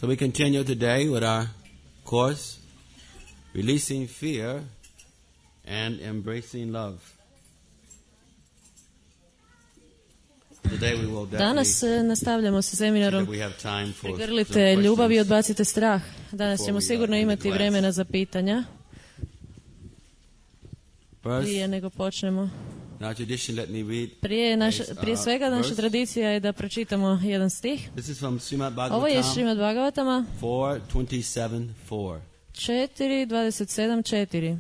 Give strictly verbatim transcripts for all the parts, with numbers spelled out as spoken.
So we continue today with our course, Releasing Fear and Embracing Love. Today we will Danas definitely nastavljamo sa see seminarom that we have time for some Pregrlite ljubav i questions. odbacite strah. Danas ćemo before we sigurno go into imati class. vremena za pitanja. Prije First, nego počnemo. in our tradition, let me read. Prije, naša, a, prije uh, svega naša verse. tradicija je da pročitamo jedan stih. This is from Srimad Ovo je Bhagavatam Šrimad Bhagavatama four twenty-seven four. četiri dvadeset sedam četiri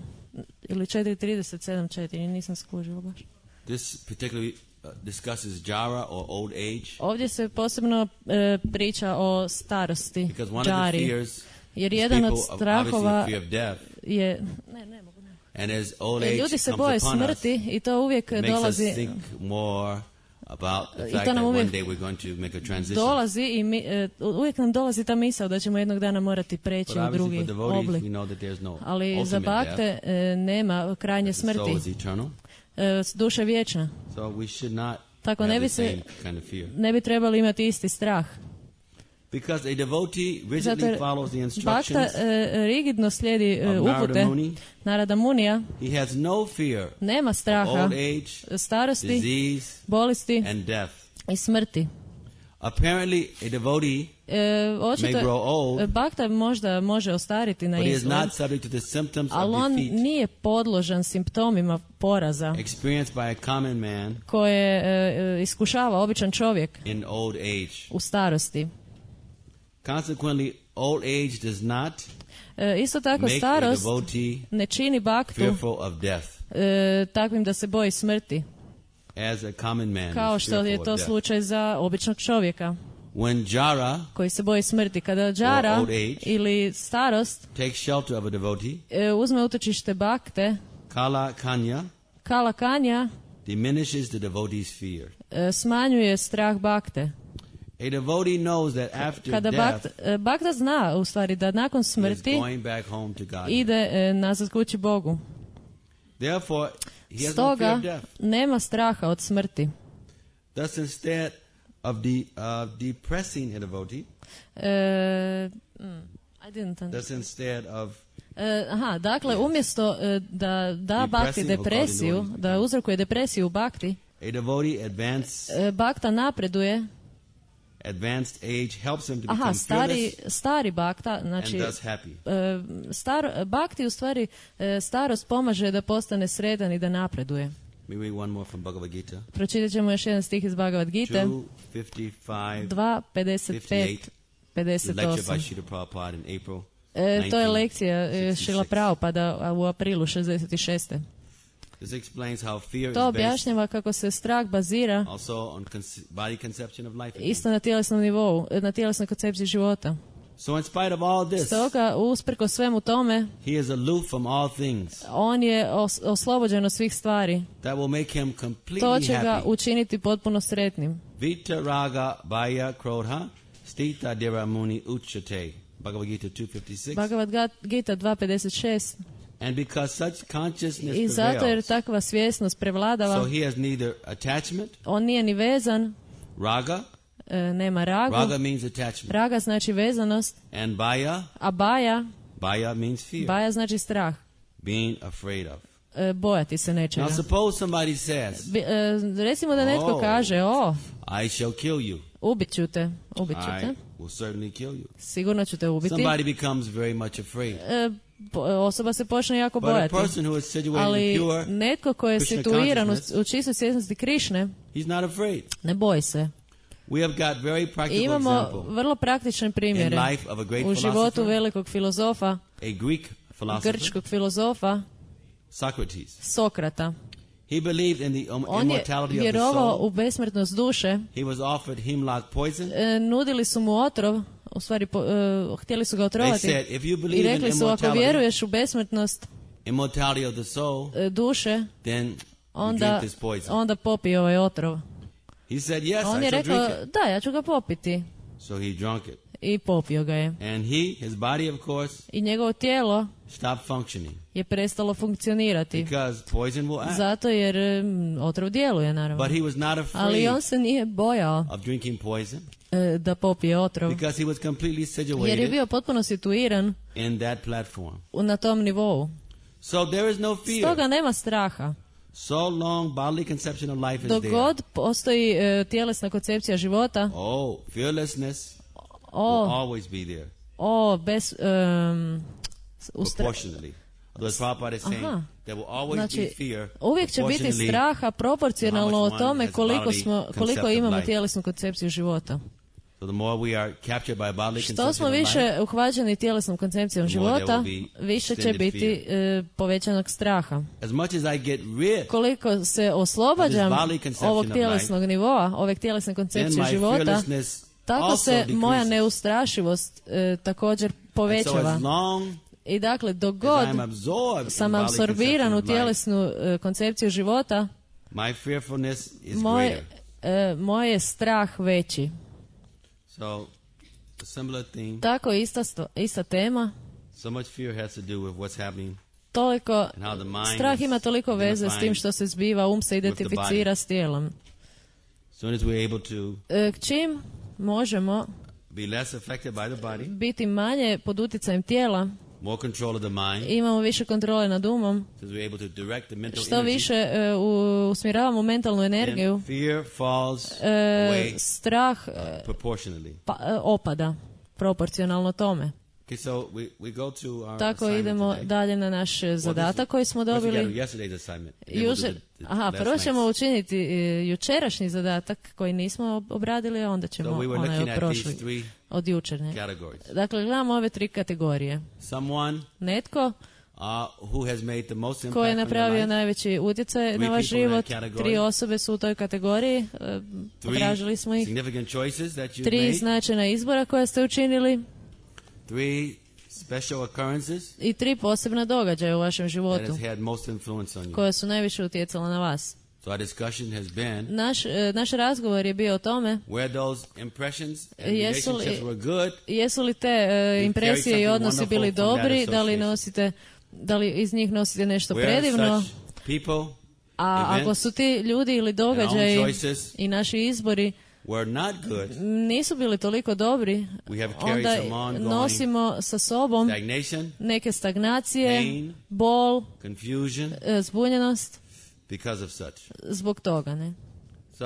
ili četiri trideset sedam četiri, nisam skužila baš. This particularly uh, discusses jara or old age, Ovdje se posebno e, priča o starosti, because one of the džari, fears jer is jedan people od of- strahova obviously the fear of death, je... Ne, ne mogu, ne mogu. and as old E, age Ljudi se comes boje upon us, smrti i to uvijek it makes us dolazi... think more about the I fact to nam that one uvijek day we're going to make a transition. dolazi i mi, e, uvijek nam dolazi ta misao da ćemo jednog dana morati preći But u obviously drugi for devotees, oblik. we know that there's no Ali za ultimate death. bakte e, nema krajnje The soul smrti. is eternal, E, duša je vječna. so we should not Tako have ne the bi se same kind of fear. ne bi trebali imati isti strah. Because a devotee Zato rigidly jer follows the bakta instructions e, rigidno slijedi e, of upute Narada Muni. Narada Munija, He has no fear nema of straha old age, starosti, disease, bolesti and death. i smrti. Apparently, a devotee E, may očito grow old, e, bakta možda može ostariti na but he is izgled, not subject to the symptoms ali of on defeat nije podložan simptomima poraza experienced by a common man koje e, e, iskušava običan čovjek in old age. u starosti. Consequently, old age does not E, isto tako make a starost devotee ne čini baktu fearful of death, e, takvim da se boji smrti, as a common man kao is što je fearful of to death. slučaj za običnog čovjeka When jara koji se boji smrti. Kada džara old age ili starost takes shelter of a devotee, e, uzme utočište bakte, kala kanya kala kanja diminishes the devotee's fear. e, smanjuje strah bakte. A devotee knows that after Kada death, bakta, e, bakta zna u stvari da nakon he is smrti going back home to God. ide e, nazad kući Bogu. Therefore, he has no fear Stoga of death. nema straha od smrti. Thus, instead of the of depressing a devotee, E, mm, I didn't understand. thus instead of E, aha, dakle, umjesto e, da da bakti Depressing depresiju, according to da uzrokuje depresiju u bakti, a devotee advance, e, bakta napreduje. advanced age helps him to Aha, become stari, fearless stari bakta, znači, and thus happy. e, star, bakti u stvari e, starost pomaže da postane sretan i da napreduje. We read one more from Bhagavad Gita. Pročitat ćemo još jedan stih iz Bhagavad Gite, two fifty-five, dva pedeset pet fifty-eight, pedeset lecture by osam. Srila Prabhupada in April E, to je nineteen lekcija e, sixty-six. Šrila Prabhupada a u aprilu šezdeset šeste. This explains how fear To is based objašnjava kako se strah bazira also on conce- body conception of life. isto na tjelesnom nivou, na tjelesnoj koncepciji života. So in spite of all this, Stoga, usprko svemu tome, he is aloof from all things. on je os- oslobođen od svih stvari. That will make him To completely će ga happy. učiniti potpuno sretnim. Vita raga baya krodha stita dira muni uchate. Bhagavad Gita two fifty-six. Bhagavad Ga- Gita dva pedeset šest. And because such consciousness I zato jer prevails, takva svjesnost prevladava, so he has neither attachment, on nije ni vezan, raga, e, nema ragu. raga means attachment, Raga znači vezanost, and baya, a baja, baya means fear, baja znači strah, being afraid of. e, bojati se nečega. Now suppose somebody says, Bi- e, recimo da netko Oh. kaže, o, I shall kill you. ubit ću te, ubit ću I te, will certainly kill you. sigurno ću te ubiti. Somebody becomes very much afraid. E, po- osoba se počne jako But a bojati. person who is situated in Ali pure, netko ko je Krishna situiran u, consciousness, u čistoj svjesnosti Krišne, he's not afraid. ne boji se. We have got very I practical imamo example vrlo praktične primjere in life of a great u životu philosopher, velikog filozofa, a Greek philosopher, grčkog filozofa, Socrates. Sokrata. He believed in the um, On je immortality of the vjerovao soul. u besmrtnost duše. He was offered hemlock poison. E, nudili su mu otrov, u stvari po, e, htjeli su ga They otrovati. said, if you I believe in rekli su, ako immortality, vjeruješ u besmrtnost immortality of the soul, e, duše, then you onda, drink this poison. onda popi ovaj otrov. He said, yes, On I je shall rekao, drink it. da, ja ću ga popiti. So he drank it. i popio ga je. And he, his body, of course, I njegovo tijelo stopped functioning je prestalo funkcionirati. because poison will act. Zato jer mm, otrov djeluje, naravno. But he was not Ali afraid on se nije bojao of drinking poison e, da popije otrov, because he was completely jer je situated bio potpuno situiran in that platform. u- na tom nivou. So there is no fear. Stoga nema straha. So long bodily conception of life is Dok there. god postoji e, tjelesna koncepcija života, Oh, fearlessness o, will always be there, o, bez... Um, ustra- proportionally. Although Prabhupada is saying Aha. there will always Znači, be fear uvijek će biti proportionally straha proporcionalno o how much one tome has koliko, bodily smo, koliko concept of imamo life. tjelesnu koncepciju života. So the more we are captured by bodily Što conception smo of life, više uhvaćeni tjelesnom koncepcijom The more there života, will be više će extended biti e, povećanog straha. as much as I get rid Koliko se oslobađam This bodily conception ovog of tjelesnog nivoa, ove tjelesne then koncepcije my života, fearlessness tako also se moja decreases. neustrašivost e, također And so povećava. as long I dakle, dok as god I'm absorbed in sam bodily apsorbiran conception u of life, tjelesnu e, koncepciju života, my fearfulness is moj, greater. e, moj je strah veći. So a similar theme, Tako je ista, sto- ista tema. so much fear has to do with what's happening Toliko, and how the mind strah is ima toliko veze s tim identifying. što se zbiva, um se with the identificira s tijelom. As soon as we're able to E, čim možemo be less affected by the body, biti manje pod utjecajem tijela, more control of the mind, imamo više kontrole nad umom, since we're able to direct the mental što energy, više e, u- usmjeravamo mentalnu energiju, then fear falls e, away strah e, proportionally. pa, e, opada proporcionalno tome. Okay, so we, we go to our Tako assignment idemo today. dalje na naš e, zadatak koji smo First we gotta do dobili. yesterday's assignment. and then we'll do Jučer, the- the aha, last prvo ćemo night's. učiniti e, jučerašnji zadatak koji nismo ob- obradili, a onda ćemo So we were onaj looking od at these prošli, three od jučer. Ne? categories. Dakle, gledamo ove tri kategorije. Someone Netko uh, who has made the most impact ko je on your napravio life, najveći utjecaj Three na vaš people in that život, category. tri osobe su u toj kategoriji, e, three potražili smo ih, significant choices that you've tri made, značajna izbora koja ste učinili three special occurrences i tri posebna događaja u vašem that životu has had most influence on you. koja su najviše utjecala na vas. So our discussion has been Naš, e, naš razgovor je bio o tome where those impressions and Jesu li- relationships were good, jesu li te e, impresije i something odnosi bili wonderful from that dobri, da li association. nosite, da li iz njih nosite nešto where predivno, such people a ako events su ti ljudi ili and our own događaji choices i naši izbori were not good, nisu bili toliko dobri, we have carried onda some ongoing nosimo sa sobom stagnation, neke stagnacije, pain, bol, confusion e, zbunjenost because of such. zbog toga. Ne? So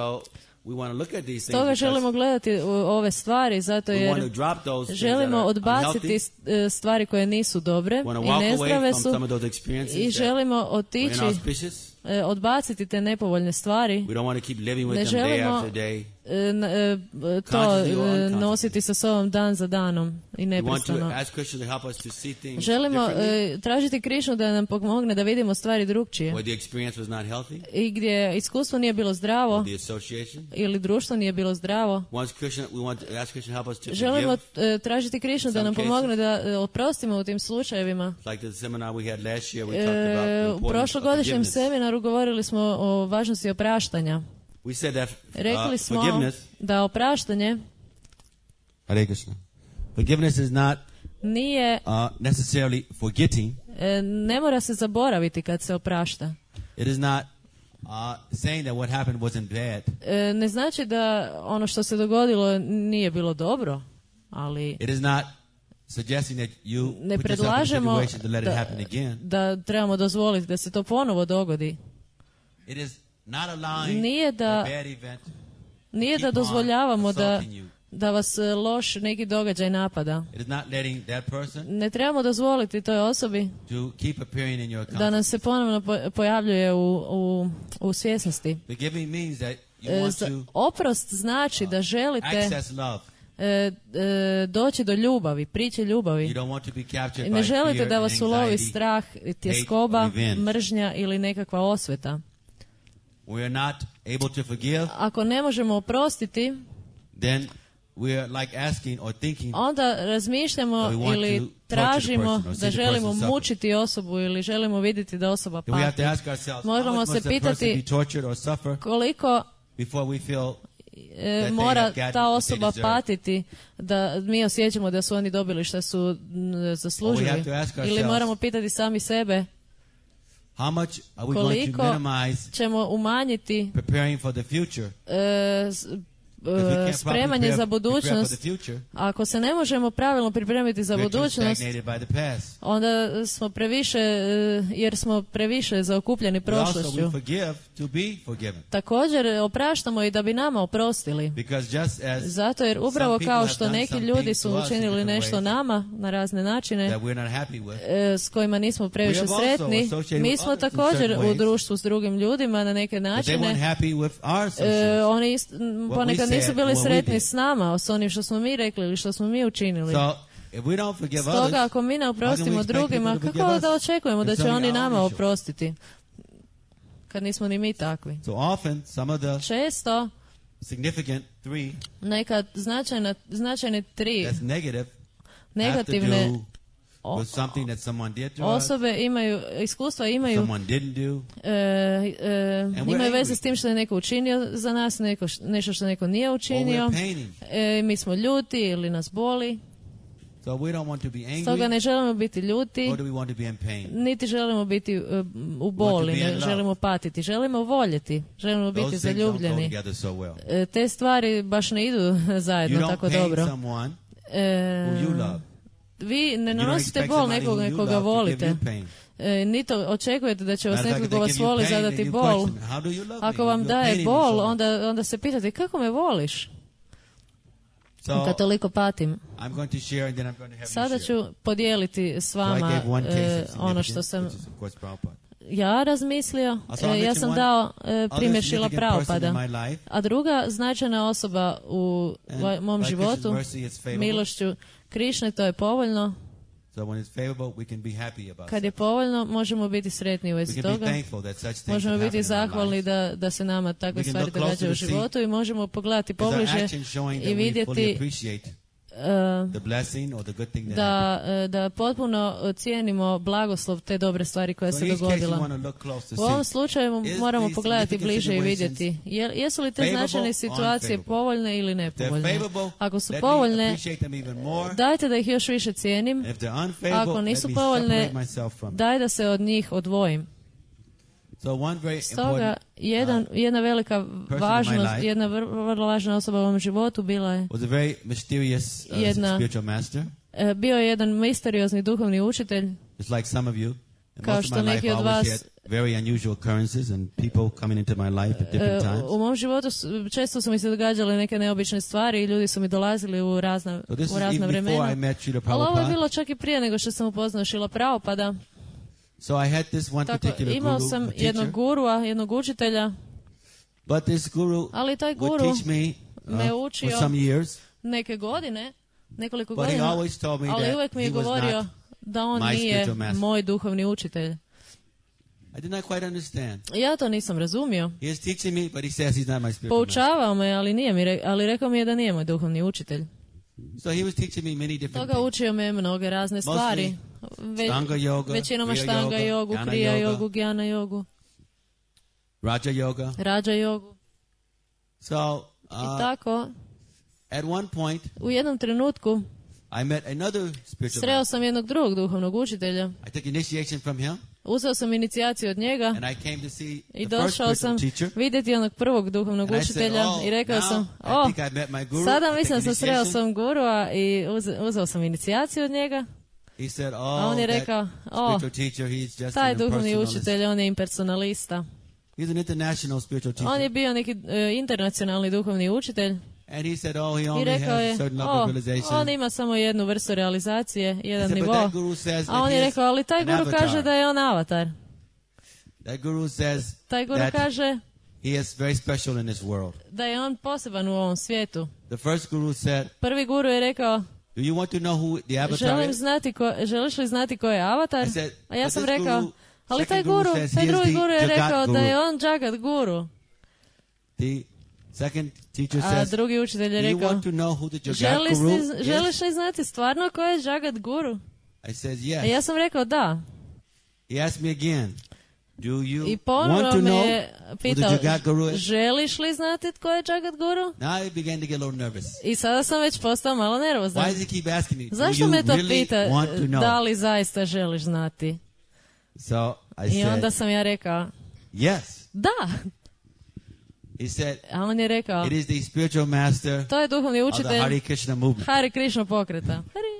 we want to look at these things Stoga because želimo gledati u ove stvari zato we want to jer drop those things želimo that are odbaciti unhealthy. e, stvari koje nisu dobre We want to i walk away nezdrave from su some of those experiences i that želimo were otići, inauspicious. e, odbaciti te nepovoljne stvari. We don't want to keep living with Ne them day želimo after day. e, n- e, to Consciously or e, unconsciously. nositi sa sobom dan za danom i We want to neprestano. ask Krishna to help us to see things Želimo differently e, tražiti Krišnu da nam pomogne da vidimo stvari drugčije. where the experience was not healthy, I gdje iskustvo nije bilo zdravo the association. ili društvo nije bilo zdravo. Once Krishna, we want to ask Krishna to help us to Želimo forgive. e, tražiti Krišnu da Some nam cases. pomogne da e, oprostimo u tim slučajevima. Like the seminar we had last year, we talked about the E, u importance of prošlogodišnjem forgiveness. seminaru govorili smo o važnosti opraštanja. We said that Rekli uh, smo forgiveness, da opraštanje Hare Krishna. Forgiveness is not nije, uh, necessarily forgetting. e, ne mora se zaboraviti kad se oprašta. It is not uh, saying that what happened wasn't bad. E, ne znači da ono što se dogodilo nije bilo dobro, ali It is not suggesting that you ne put yourself in a predlažemo situation to let it da, happen again. da trebamo dozvoliti da se to ponovo dogodi. It is not allowing Nije da- a bad event Nije keep da on dozvoljavamo da, assaulting you. da vas e, loš neki događaj napada. It is not letting that person Ne trebamo dozvoliti toj osobi to keep appearing in your da consciousness. nam se ponovno po- pojavljuje u, u, u svjesnosti. Forgiving means that you E, want za- to oprost znači da želite access love. e, e, doći do ljubavi, priče You ljubavi. don't want to be captured I ne by želite fear da and vas ulovi anxiety. strah, tjeskoba, or revenge. mržnja ili nekakva osveta. We are not able to forgive, Ako ne možemo oprostiti, then we are like asking or thinking onda razmišljamo That we want ili to torture the tražimo person or see da the želimo person suffer. mučiti osobu ili želimo vidjeti da osoba then we have pati. to ask ourselves, Možemo how much se must a person pitati- be tortured or suffer Koliko before we feel e, they mora have gotten ta what they osoba deserve. patiti, da mi osjećamo da su oni dobili što su m, Or we zaslužili. have to ask Ili ourselves, moramo pitati sami sebe how much are we going to koliko minimize ćemo umanjiti preparing for the future? e, s- Because we e, can't properly spremanje prepare, za prepare for budućnost. the future. Ako se ne možemo pravilno pripremiti za We're too budućnost, stagnated by the past. onda smo previše, e, jer smo previše zaokupljeni But also we prošlošću. forgive to be forgiven. Također opraštamo i da bi nama oprostili. Because just as Zato jer upravo some people kao have što done neki some ljudi things su to us in učinili different nešto ways nama na razne načine that we're not happy with, e, s kojima nismo previše We have also sretni, associated mi with smo others in također certain u ways, društvu s drugim ljudima na neke but they weren't načine. happy with our E, associations. oni ist, m, we ponekad nisu said bili and what we sretni did. s nama, s onim što smo mi rekli ili što smo mi učinili. So if we don't forgive Stoga others, ako mi ne how oprostimo can we expect drugima, people to kako forgive da us očekujemo da if će it's only oni our nama issue? oprostiti? Kad nismo ni mi takvi. So often, some of the Često significant three neka značajna, značajne tri that's negative have to negativne do o- with something that someone did to us, osobe imaju, iskustva imaju someone didn't do. e, e, we're imaju veze angry. s tim što je neko učinio za nas, neko, š- nešto što neko nije Or učinio. we're paining. E, mi smo ljuti ili nas boli. So we don't want to be Stoga angry, ne želimo biti ljuti, or do we want to be in pain? niti želimo biti e, u boli, be in ne love. želimo patiti. Želimo voljeti, želimo biti Those things don't go zaljubljeni. together so well. E, te stvari baš ne idu You zajedno don't tako pain dobro. someone E, who you love. vi ne You don't nanosite expect bol somebody nekog who you nekoga love to give volite. you pain. E, niti očekujete da će vas Matter of neko fact, ko if they vas give you voli pain, zadati then you bol. question, how do you love Ako me? vam You're daje paining me so bol, much. onda, onda se pitate kako me voliš So kad toliko patim. I'm going to share and then I'm going to have Sada you share. ću podijeliti s So I vama gave one case e, of ono što significance, sam which is of course Prabhupada. ja razmislio. A sam E, ja mention sam one dao e, Other primjer Šila significant person in Prabhupada. my life, A druga značajna osoba u and va- mom by Krishna's životu, mercy it's favorable. milošću Krišne, to je povoljno. So when it's favorable, we can be happy about Kad je it. povoljno, možemo biti sretni u We vezi can be toga. thankful that such things Možemo have biti happened in our zahvalni lives. da, da se nama takve We can stvari look closer događaju u to see životu i možemo pogledati Is our pobliže action showing i that we fully vidjeti appreciate e, the blessing or the good thing that da, e, da potpuno cijenimo blagoslov te dobre stvari koja happened? So se in each case, you dogodila. want to look close to U ovom see. slučaju Is moramo these pogledati significant bliže i situations vidjeti je- jesu li te favorable značajne or situacije unfavorable? povoljne ili If they're nepovoljne. favorable, Ako su let me povoljne, appreciate them even more. dajte da ih još više cijenim. If they're unfavorable, Ako nisu let me povoljne, separate myself from them. daj da se od njih odvojim. So one very Stoga, important jedan, jedna velika my važnost, life jedna vr- vrlo važna osoba u ovom životu bila je, was a very mysterious uh, Jedna- spiritual master. e, bio je jedan misteriozni duhovni učitelj, It's like some of you. In Kao most of što my life, neki I od always vas- had very unusual occurrences and people coming into my life at different E, times. u mom životu s- često su mi se događale neke neobične stvari i ljudi su mi dolazili u razna, So this u is razna even before I vremena. met Srila Ali ovo je Prabhupada. bilo čak i prije nego što sam upoznao Šila Prabhupada. So I had this one Tako, particular imao guru, sam a jednog teacher, gurua, jednog učitelja, but this guru ali taj would guru teach me me uh, učio for some years, neke godine, nekoliko but he godina, always told me ali that uvijek mi he je was govorio not, da on my nije spiritual master. moj duhovni učitelj. I did not quite understand. Ja to nisam razumio. He is teaching me, but he says he's not my spiritual master. Poučavao me, ali nije mi, re- ali rekao mi je da nije moj duhovni učitelj. So he was teaching me many different Toga things. učio me mnoge razne stvari. Ve- Stanga yoga, većinom Kriya štanga yoga, jogu, Jnana krija yoga. jogu, gjana jogu, Raja yoga. rađa jogu. So I uh, tako, at one point, u jednom trenutku I met another spiritual sreo master. sam jednog drugog duhovnog učitelja. I took initiation from him, Uzeo sam inicijaciju od njega and I came to see i the first došao spiritual sam teacher. vidjeti onog prvog duhovnog And I said, učitelja oh, i rekao now sam, I o, think I met my guru. sada I mislim da took sam sreo initiation." sam gurua i uze- uzeo sam inicijaciju od njega. He said, A oh, on je that rekao, o, spiritual teacher, he's just taj an duhovni impersonalist. učitelj, on je impersonalista. He's an international spiritual teacher. On je bio neki e, internacionalni duhovni učitelj And he said, oh, he i only rekao has je, a certain level o, of realization. on ima samo jednu vrstu realizacije, I jedan said, but nivo. that guru says A that on he je is rekao, ali taj an guru avatar. kaže da je on avatar. That guru says Taj guru that kaže he is very special in this world. da je on poseban u ovom svijetu. The first guru said, Prvi guru je rekao, do you want to know who the avatar želim is? znati ko, želiš li znati ko je avatar? I said, A ja but sam this rekao, guru- ali taj second guru guru, says taj he is drugi the guru je Jagat rekao da guru. je on Jagat guru. The second teacher A says, drugi učitelj je do you rekao, want to know who the Jagat želiš guru li, is? želiš li znati stvarno ko je Jagat guru? I said, A yes. ja sam rekao da. He asked me again, Do you I want ponovno to me know je who the pitao, Jagat Guru is? želiš li znati tko je Jagat Guru? Now I began to get a little nervous. I sada sam već postao malo nervozan. Why does he keep asking me? Do Zašto you me to really pita, want to know? da li zaista želiš znati? So I I onda said, sam ja rekao, yes. da. He said, A on je rekao, it is the spiritual master to je duhovni of the učitelj Hare Krishna movement. Hare Krishna pokreta. Hare.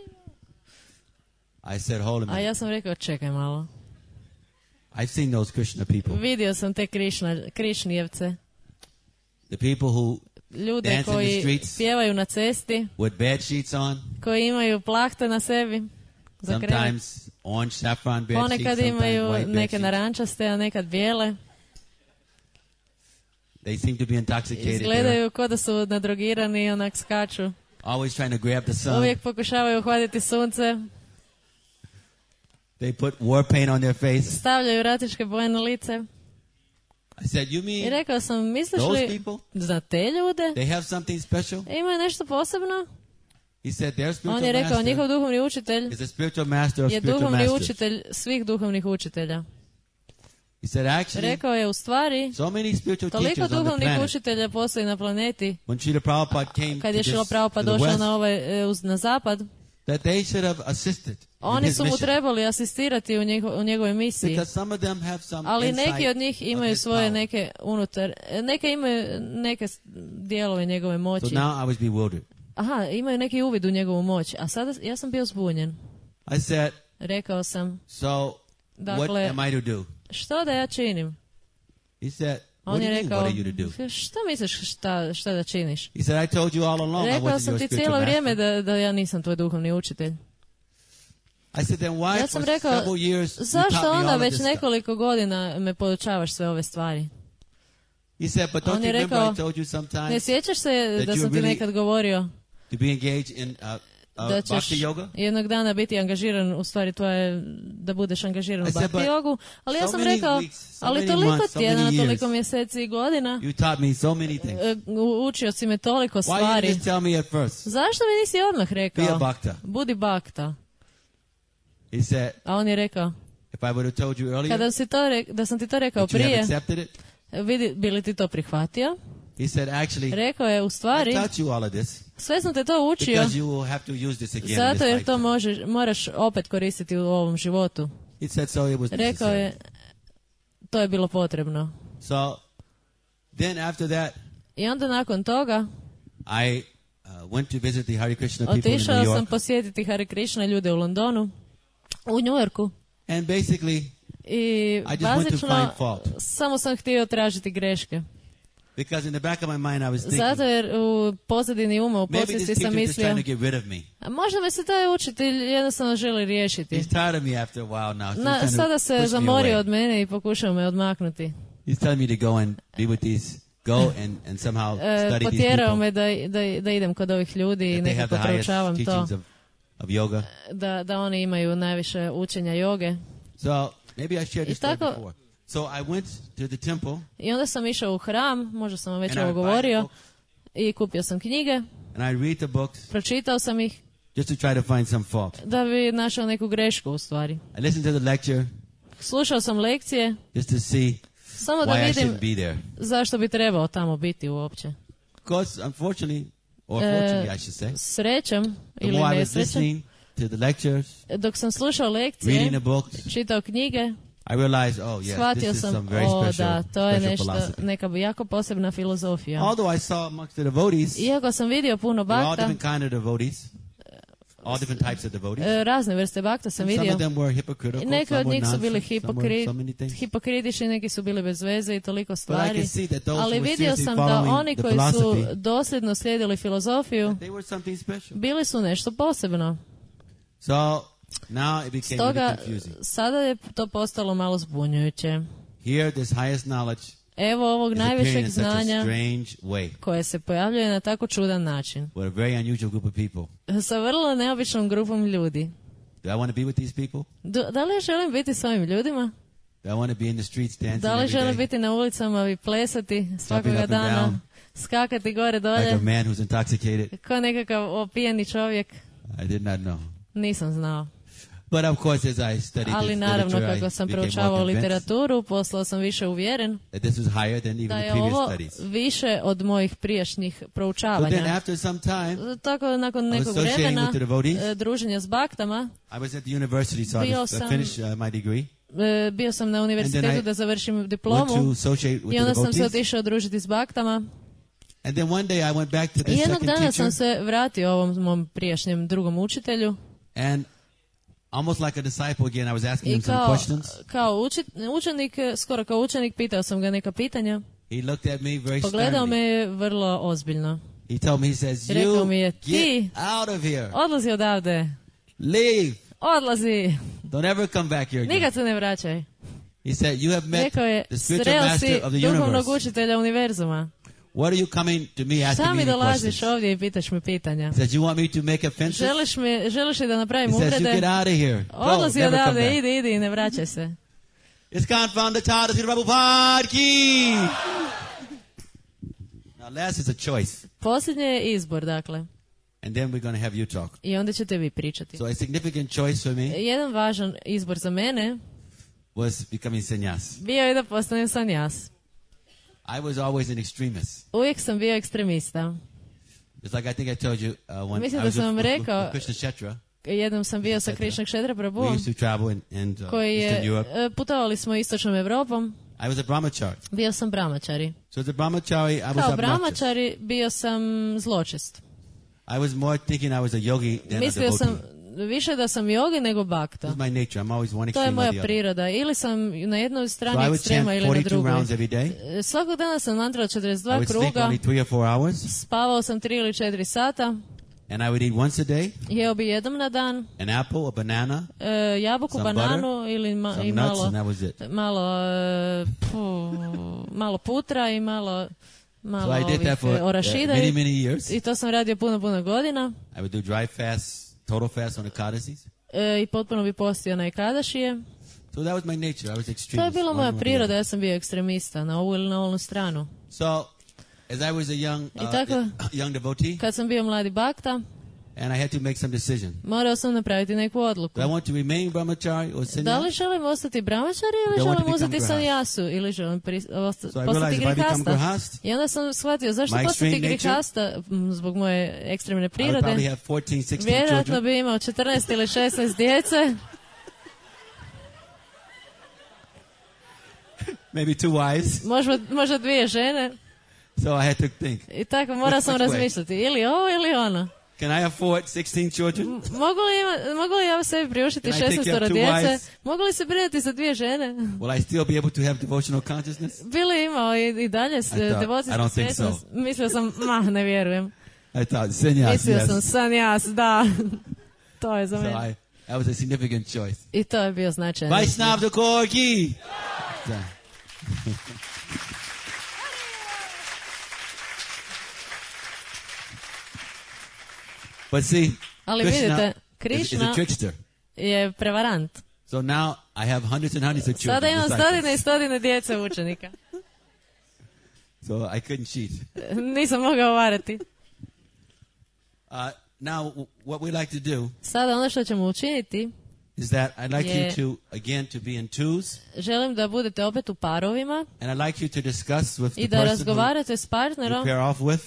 I said, hold a A minute. ja sam rekao, čekaj malo. I've seen those Krishna people. Vidio sam te Krišna, Krišnijevce. The people who Ljude dance in the koji streets pjevaju na cesti, with bed sheets on, koji imaju plahte na sebi. Za krevet. sometimes orange saffron bed sheets, Ponekad sometimes imaju white bed neke sheets. narančaste, a nekad bijele. They seem to be intoxicated. They're Izgledaju kao da su nadrogirani i onak skaču. always trying to grab the sun. Uvijek pokušavaju uhvatiti sunce, They put war paint on their face. stavljaju ratičke boje na lice. I said, you I mean rekao sam, misliš those li people? za te ljude? They have something special? Imaju nešto posebno? He said, their On spiritual je rekao, master njihov duhovni učitelj is the spiritual master of je spiritual duhovni masters. učitelj svih duhovnih učitelja. He said, actually, Rekao je, u stvari, so many spiritual toliko teachers on the duhovnih planet. učitelja postoji na planeti. When Srila Prabhupada came Kad to, je Šrila this, Prabhupada to the došao West, na, ovaj, e, uz- na zapad, that they should have assisted in oni his su mu mission. trebali asistirati u, njego, u njegovoj misiji. Because some of them have some Ali insight neki od njih of imaju his svoje power. neke unutar, neke imaju neke s- dijelove njegove So moći. now I was bewildered. Aha, imaju neki uvid u njegovu moć. A sada ja sam bio zbunjen. I said, Rekao sam, so Dakle, what am I to do? što da ja činim? He said, what On do je you mean, rekao, what are you to do? što misliš šta, šta da činiš? He said, I told you all along I Rekao wasn't sam your ti spiritual cijelo vrijeme master. da, da ja nisam tvoj duhovni učitelj. I said, then why Ja for sam rekao, several years you zašto taught me onda all of već this stuff? nekoliko godina me podučavaš sve ove stvari? He said, but On don't je you remember rekao, I told you Ne sometimes sjećaš se that da you sam ti really- nekad govorio to be engaged in uh, uh, da ćeš bhakti yoga? jednog dana biti angažiran, u stvari tvoje, da budeš angažiran u I said, bhakti but jogu, ali ja so sam many rekao, weeks, so ali many toliko months, so tjedana, many years. toliko mjeseci i godina, You taught me so many things. e, u- učio si me toliko Why you stvari. just tell me at first? Zašto mi nisi odmah Be a rekao? bhakta. Budi bakta. He said, A on je rekao, if I would have told you earlier, kada si to rek- da sam ti to rekao would you have prije, accepted it? vidi, bi li ti to prihvatio? He said, actually, Rekao je, u I stvari, taught you all of this sve sam te to učio, because you will have to use this again in zato this jer to lifetime. možeš, moraš opet koristiti u ovom životu. He said, so it was Rekao necessary. je, to je bilo potrebno. So then after that, I onda nakon toga I uh, went to visit the Hare Krishna people in otišao New sam York. posjetiti Hare Krishna ljude u Londonu, u New Yorku. And basically, I I just went to bazično find fault. samo sam htio tražiti greške. because in the back of my mind I was Zato thinking, jer u pozadini uma, u maybe this podsvijesti sam teacher is mislio, trying to get rid of me. a možda me se taj učitelj jednostavno želi riješiti. He's tired of me after a while now. So he's Na, trying to sada se push me zamorio away. od mene i pokušao me odmaknuti. He's telling me to go and be with these, go and, and somehow E, study these potjerao people. me da, da, da idem kod ovih ljudi i That they have nekako the highest proučavam to, teachings of, of yoga. da, da oni imaju najviše učenja joge. So maybe I shared I this story tako- before. So I went to the temple I onda sam išao u hram, možda sam vam već and I ovo would buy govorio, books i kupio sam knjige, and I read the books pročitao sam ih just to try to find some fault. da bi našao neku grešku u stvari. I listened to the lecture Slušao sam lekcije just to see samo da why I vidim shouldn't be there. zašto bi trebao tamo biti uopće. Because unfortunately, or Uh, fortunately I should say, Srećem the ili more I was nesrećem, listening to the lectures, dok sam slušao reading lekcije, the books, čitao knjige, I realized, oh yes, shvatio this is sam, some very o special, da, to je special nešto, philosophy. neka jako posebna filozofija. Although I saw amongst the devotees, Iako sam vidio puno there were all bakta, different kind of devotees, all different types of devotees. e, razne vrste bakta sam And some vidio. of them were hypocritical, Neki some od were njih su bili nonsense, some were hipokri, so many things. hipokritični, neki su bili bez veze i toliko But I stvari. could see that those Ali who were vidio seriously sam da following oni the koji su philosophy, dosljedno slijedili filozofiju, they were something special. bili su nešto posebno. So now it became really Stoga confusing. sada je to postalo malo zbunjujuće. Here, this highest knowledge Evo ovog is appearing najvišeg in such a znanja strange way koje se pojavljuje na tako čudan način. with a very unusual group of people. Sa vrlo neobičnom grupom ljudi. Do I want to be with these people? Do- da li ja želim biti s ovim ljudima? Do I want to be in the streets dancing Da li every želim day biti na ulicama i plesati up svakoga and dana? down. Skakati gore like dolje? a man who's intoxicated? Ko nekakav opijeni čovjek? I did not know. Nisam znao. But of course, as I studied Ali this naravno, literature, kako I sam became more proučavao convinced literaturu, postao sam više uvjeren that this was higher than even da the je previous ovo studies. više od mojih prijašnjih So then proučavanja. after some time, Tako nakon I was nekog associating vremena with the devotees. e, druženja s baktama, I was at the university, so I, Bio was, I sam- finished uh, my degree. e, bio sam na And univerzitetu then I da završim Went to diplomu associate with i the onda sam se devotees. otišao družiti s baktama. And then one day I went back to I this jednog second dana teacher. sam se vratio ovom mom prijašnjem drugom učitelju And almost like a disciple again, I was asking i him some kao, questions. kao učit, učenik, skoro kao učenik, pitao sam ga neka pitanja. He looked at me very Pogledao me sternly. je vrlo ozbiljno. He told me, he says, Rekao you mi je, get ti out of here. odlazi odavde, Leave. odlazi, Don't ever come back here again. nikad se ne vraćaj. He said, you have met Rekao je, the spiritual sreo si master of the duhovnog universe. učitelja univerzuma. What are you coming to me asking Šta me mi any dolaziš questions? ovdje i pitaš me pitanja? He says, you want me to make offenses? Želiš, mi, želiš li da napravim He says, you get uvrede? out of here. Go, Odlazi never come odavde, back. idi, idi i ne vraćaj se. It's gone the Tata Sri Prabhupada ki. Now last is a choice. Posljednje je izbor, dakle. And then we're going to have you talk. I onda ćete vi pričati. So a significant choice for me Jedan važan izbor za mene was becoming sannyas. bio je da postanem sanjas. I was always an extremist. Uvijek sam bio ekstremista. It's like I think I told you uh, when Mislim I da was sam vam with, with, rekao- with Krishna Shetra. Jednom sam bio sa Etc. Krishna Kshetra We Prabhuom, used to travel in, in uh, koji Eastern je, Europe. e, putovali smo istočnom Evropom, I was a brahmachari. bio sam brahmačari. So as a brahmachari, I was Kao obnoxious. brahmačari bio sam zločest. I was more thinking I was a yogi than a Mislio devotee. sam više da sam jogi nego bakta. This is my nature. I'm always one To je extreme or moja the other. priroda. Ili sam na jednoj So strani I would chant ekstrema ili na forty-two drugoj. rounds every day. E, Svakog dana sam mantrala četrdeset I dva would sleep kruga, only three or four hours. spavao sam tri ili četiri sata, And I would eat once a day jeo bi jednom na dan, an apple, a banana, e, jabuku, Some bananu ili ma, some i nuts, malo, and that was it. malo, e, pu, malo putra i malo, malo So I did ovih that for e, uh, orašida. many, i- many years. I to sam radio puno, puno godina. I would do dry fast, total fast on the Ekadasis. E, I potpuno bi postio na Ekadašije. So that was my nature. I was To je extremist. bila one moja or the priroda, other. ja sam bio ekstremista na ovu ili na onu stranu. So as I was a young, I uh, tako- young devotee, Kad sam bio mladi bakta, and I had to make some decision. morao sam napraviti neku odluku. Do I want to remain brahmachari or Da li sannyas? želim ostati brahmačari ili Da, I want to želim become uzeti grahast. sanjasu ili želim pri, osta, So I postati realized if I become grihasta. grahast, I onda sam shvatio zašto my postati extreme nature, grihasta m, zbog moje ekstremne I would probably prirode. have fourteen, sixteen Vjerojatno children. bi imao četrnaest ili šesnaest djece, Maybe two wives. možda, možda dvije žene. So I had to think, I tako morao sam Which way? razmišljati ili ovo ili ono. can I afford sixteen children? Mogu li, ima, mogu li ja sebi priuštiti Can I take šesnaest care of two djece? wives? Mogu li se brinuti za dvije žene? Will I still be able to have devotional consciousness? Bili imao i, i dalje s- I thought, I devocijsku don't think so. svjesnost. Mislio sam, ma, ne vjerujem. I thought, sannyas, Mislio sam, yes. sanjas, da. To je za So mene. I, that was a significant choice. I to je bio značajan. Vaishnav Thakur ki. Yeah. But see, Ali Krishna vidite, is, is a Krishna trickster. je prevarant. So now I have hundreds and hundreds of children. Sada imam disciples. stotine i stotine djece učenika. So I couldn't cheat. Nisam mogao varati. Uh, now, w- what we like to do Sada ono što ćemo učiniti, is that I'd like Je- you to, again, to be in twos, želim da budete opet u parovima and I'd like you to discuss with i the da person who razgovarate s you partnerom, pair off with.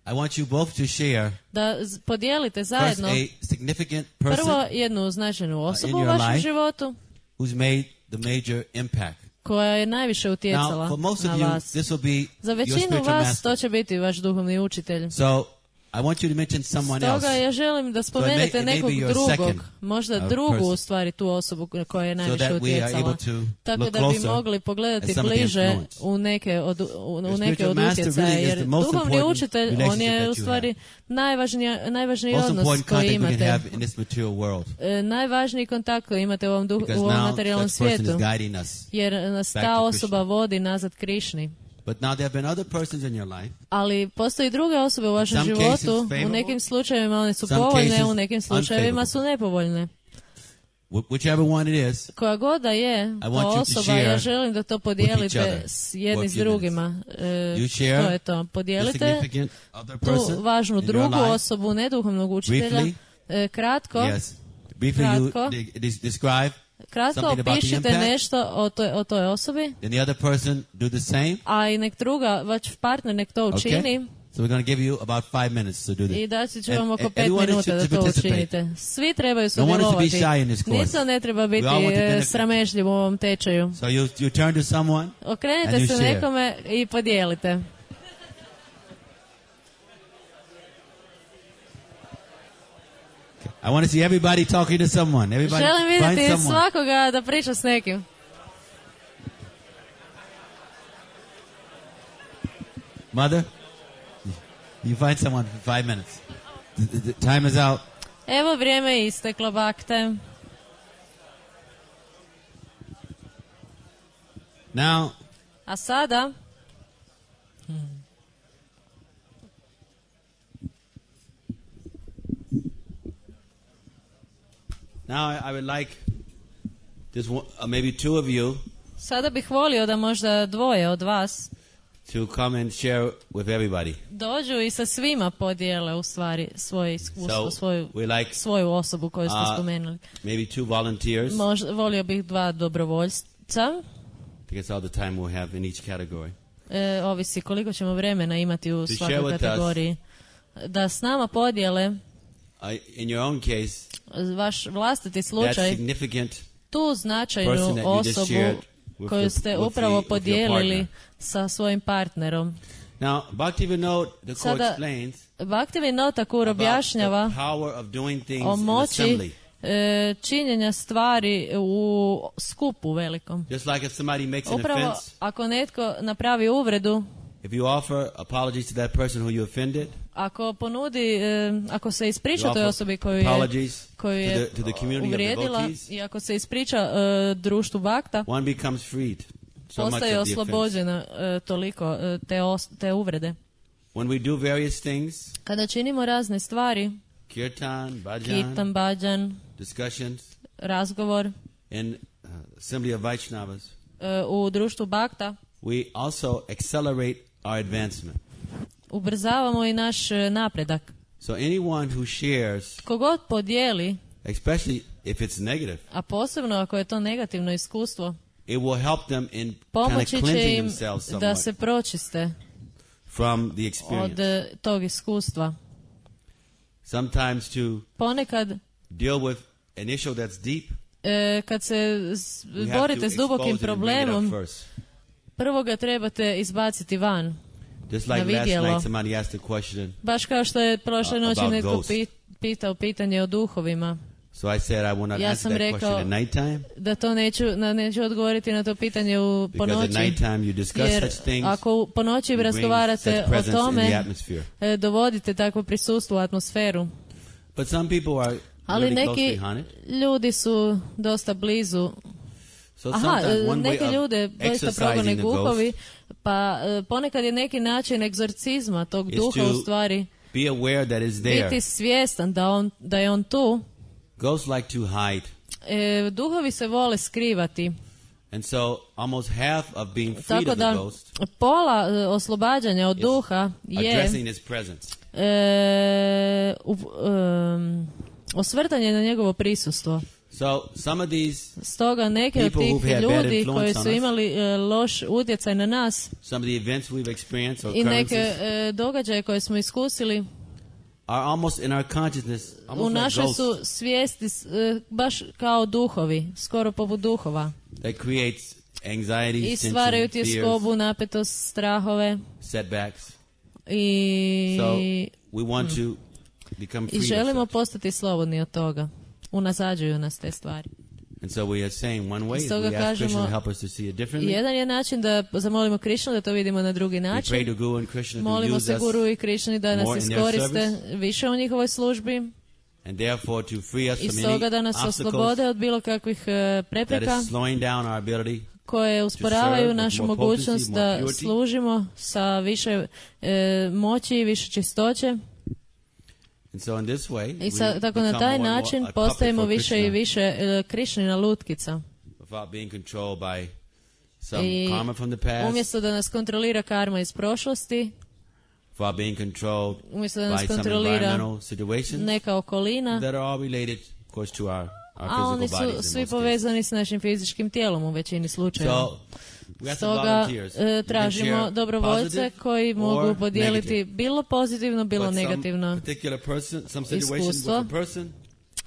I want you both to share da z- podijelite first zajedno a significant prvo person jednu značajnu osobu u your vašem life. životu who's made the major impact. koja je najviše Now, utjecala for most na of you, vas. this will be Za your većinu spiritual vas master. to će biti vaš duhovni učitelj. So, I want you to mention someone else. Stoga ja želim da may- spomenete it may nekog be your drugog, second, možda uh, drugu person. u stvari tu osobu koja je So najviše that we are utjecala. able to Tako look da bi closer mogli pogledati at some of the bliže influence. u neke od, u, u Your neke spiritual od master utjecaja, really is jer the most duhovni important učitelj, on relationship je that u you stvari najvažnija, najvažniji Most odnos important koji contact we can imate. have in this material world. E, najvažniji kontakt koji imate u ovom, duh, Because u ovom now materijalnom that person svijetu, is guiding us. jer nas back ta to osoba Krishna. vodi nazad Krišni. But now there have been other persons in your life. Ali postoji druge osobe u vašem some životu, cases u favorable, nekim slučajevima one su some povoljne, cases u nekim slučajevima su nepovoljne. Wh- whichever one it is, Koja god da je I to want you to osoba, share ja želim da to each podijelite other s jedni for a s few drugima. E, You share to je to. the Podijelite significant other tu person važnu in your drugu life. osobu, ne duhovnog učitelja. Briefly. E, kratko, Yes. briefly you Kratko. de- des- describe Kratko something about the opišite impact. nešto o toj, o toj osobi, Then the other person do the same. a i nek druga, vaš partner nek to učini. Okay? So we're going to give you about five minutes to do that. I daći ću vam And- oko and pet everyone minuta should da to to participate. učinite. Svi trebaju No one is to be sudjelovati. shy in this course. Nitko ne treba biti We all want to e, benefit. sramežljiv u ovom tečaju. So you, you turn to someone. And Okrenite you se share. nekome i podijelite. I want to see everybody talking to someone. Everybody Želim find vidjeti someone. svakoga da priča s nekim. Mother, you find someone for five minutes. The, the, the time is out. Evo vrijeme je isteklo, bakte. Now, A sada, now I, I would like just one, uh, maybe two of you sada bih volio da možda dvoje od vas to come and share with everybody. dođu i sa svima podijele u stvari svoje iskustvo, So svoju, we like svoju osobu koju ste uh, spomenuli. maybe two volunteers. Možda, volio bih dva dobrovoljca. I guess all the time we'll have in each category. E, ovisi koliko ćemo vremena imati u To svakoj share with us. kategoriji. Da s nama podijele Uh, in your own case, vaš vlastiti that slučaj, significant tu person značajnu that you just osobu shared with koju your- ste with upravo the- with your podijelili partner. sa svojim partnerom. Now, Bhaktivinoda Thakur Sada, explains Bhaktivinoda Thakur about the objašnjava power of doing things o in moći assembly. e, činjenja stvari u skupu velikom. Just like if somebody makes an Upravo offense, ako netko napravi uvredu, if you offer apologies to that person who you offended, ako ponudi, e, ako se ispriča you toj offer osobi koju je, apologies koju to je the, to the community of uvrijedila devotees, i ako se ispriča e, društvu bakta, one becomes freed. So much postaje of the offense. oslobođena e, toliko e, te, os, te uvrede. When we do various things, Kada činimo razne stvari, kirtan, bhajan, kirtan, bhajan, discussions, razgovor in uh, assembly of Vaishnavas, e, u društvu bakta, we also accelerate our advancement. ubrzavamo i naš e, napredak. So anyone who shares, Kogod podijeli, especially if it's negative, a posebno ako je to negativno iskustvo, it will help them in kind of pomoći će cleansing im themselves da somewhat se pročiste from the od experience. e, tog iskustva. Sometimes to Ponekad, deal with an issue that's deep, e, kad se s- we have to borite s dubokim expose it and bring it up problemom, first. prvo ga trebate izbaciti van. Just na like last vidjelo. night somebody asked a question, Baš kao što je prošle Uh, noći about netko ghosts. pi- pitao pitanje o duhovima. so I said I will not Ja answer sam that rekao question at nighttime, da to neću, na, neću odgovoriti na to pitanje u po because at noći. nighttime you discuss Jer such things, ako u- po noći you bring razgovarate such o presence in the tome, atmosphere. e, dovodite takvo prisustvo u atmosferu. But some people are Ali really close neki behind it. ljudi su dosta blizu. So Aha, sometimes e, one neke way ljude of doista progone exercising the ghost guhovi, pa e, ponekad je neki način egzorcizma tog is duha to u stvari be aware that it's there. biti svjestan da, on, da je on tu. Ghosts like to hide. E, duhovi se vole skrivati. And so almost half of being freed Tako of the da ghost pola e, oslobađanja od is duha je addressing his presence. e, u, em, osvrtanje na njegovo prisustvo. So some of these, Stoga neke od People tih who've had bad ljudi influence koji on su us. imali e, loš utjecaj na nas some of the events we've experienced or i neke occurrences e, događaje koje smo iskusili are almost in our consciousness, u almost like našoj ghosts su svijesti s- e, baš kao duhovi, skoro poput duhova. that creates anxiety, I stvaraju tension, fears, tjeskobu, napetost, strahove setbacks. i, So we want to become i free of želimo such. postati slobodni od toga. Unazađuju nas te stvari. And so we are saying one way is Stoga we ask Krishna kažemo, to help us to see it differently. Jedan je način da zamolimo Krišnu da to vidimo na drugi We pray način. to Guru and Krishna to Molimo use se us, Guru i Krišni da nas more in their iskoriste service. više u njihovoj službi and therefore to free us i from stoga da any nas obstacles oslobode od bilo kakvih e, that prepreka is slowing down our ability. koje usporavaju serve with našu more mogućnost potency, more da purity. služimo sa više e, moći i više čistoće. And so in this way, I sa, we tako na become taj more and more način a puppet postajemo for više i Krishna više e, Krišnina lutkica. without being controlled by some I karma from the past, umjesto da nas kontrolira karma iz prošlosti, without being controlled umjesto da nas by some kontrolira environmental situations neka okolina that are all related of course, to our, our A oni physical bodies su in svi most povezani s našim fizičkim tijelom u većini cases. slučajeva. So, we got some Stoga volunteers. e, You can tražimo share dobrovoljce positive koji mogu or podijeliti negative. bilo pozitivno, bilo But some negativno particular person, some situation with iskustvo. a person,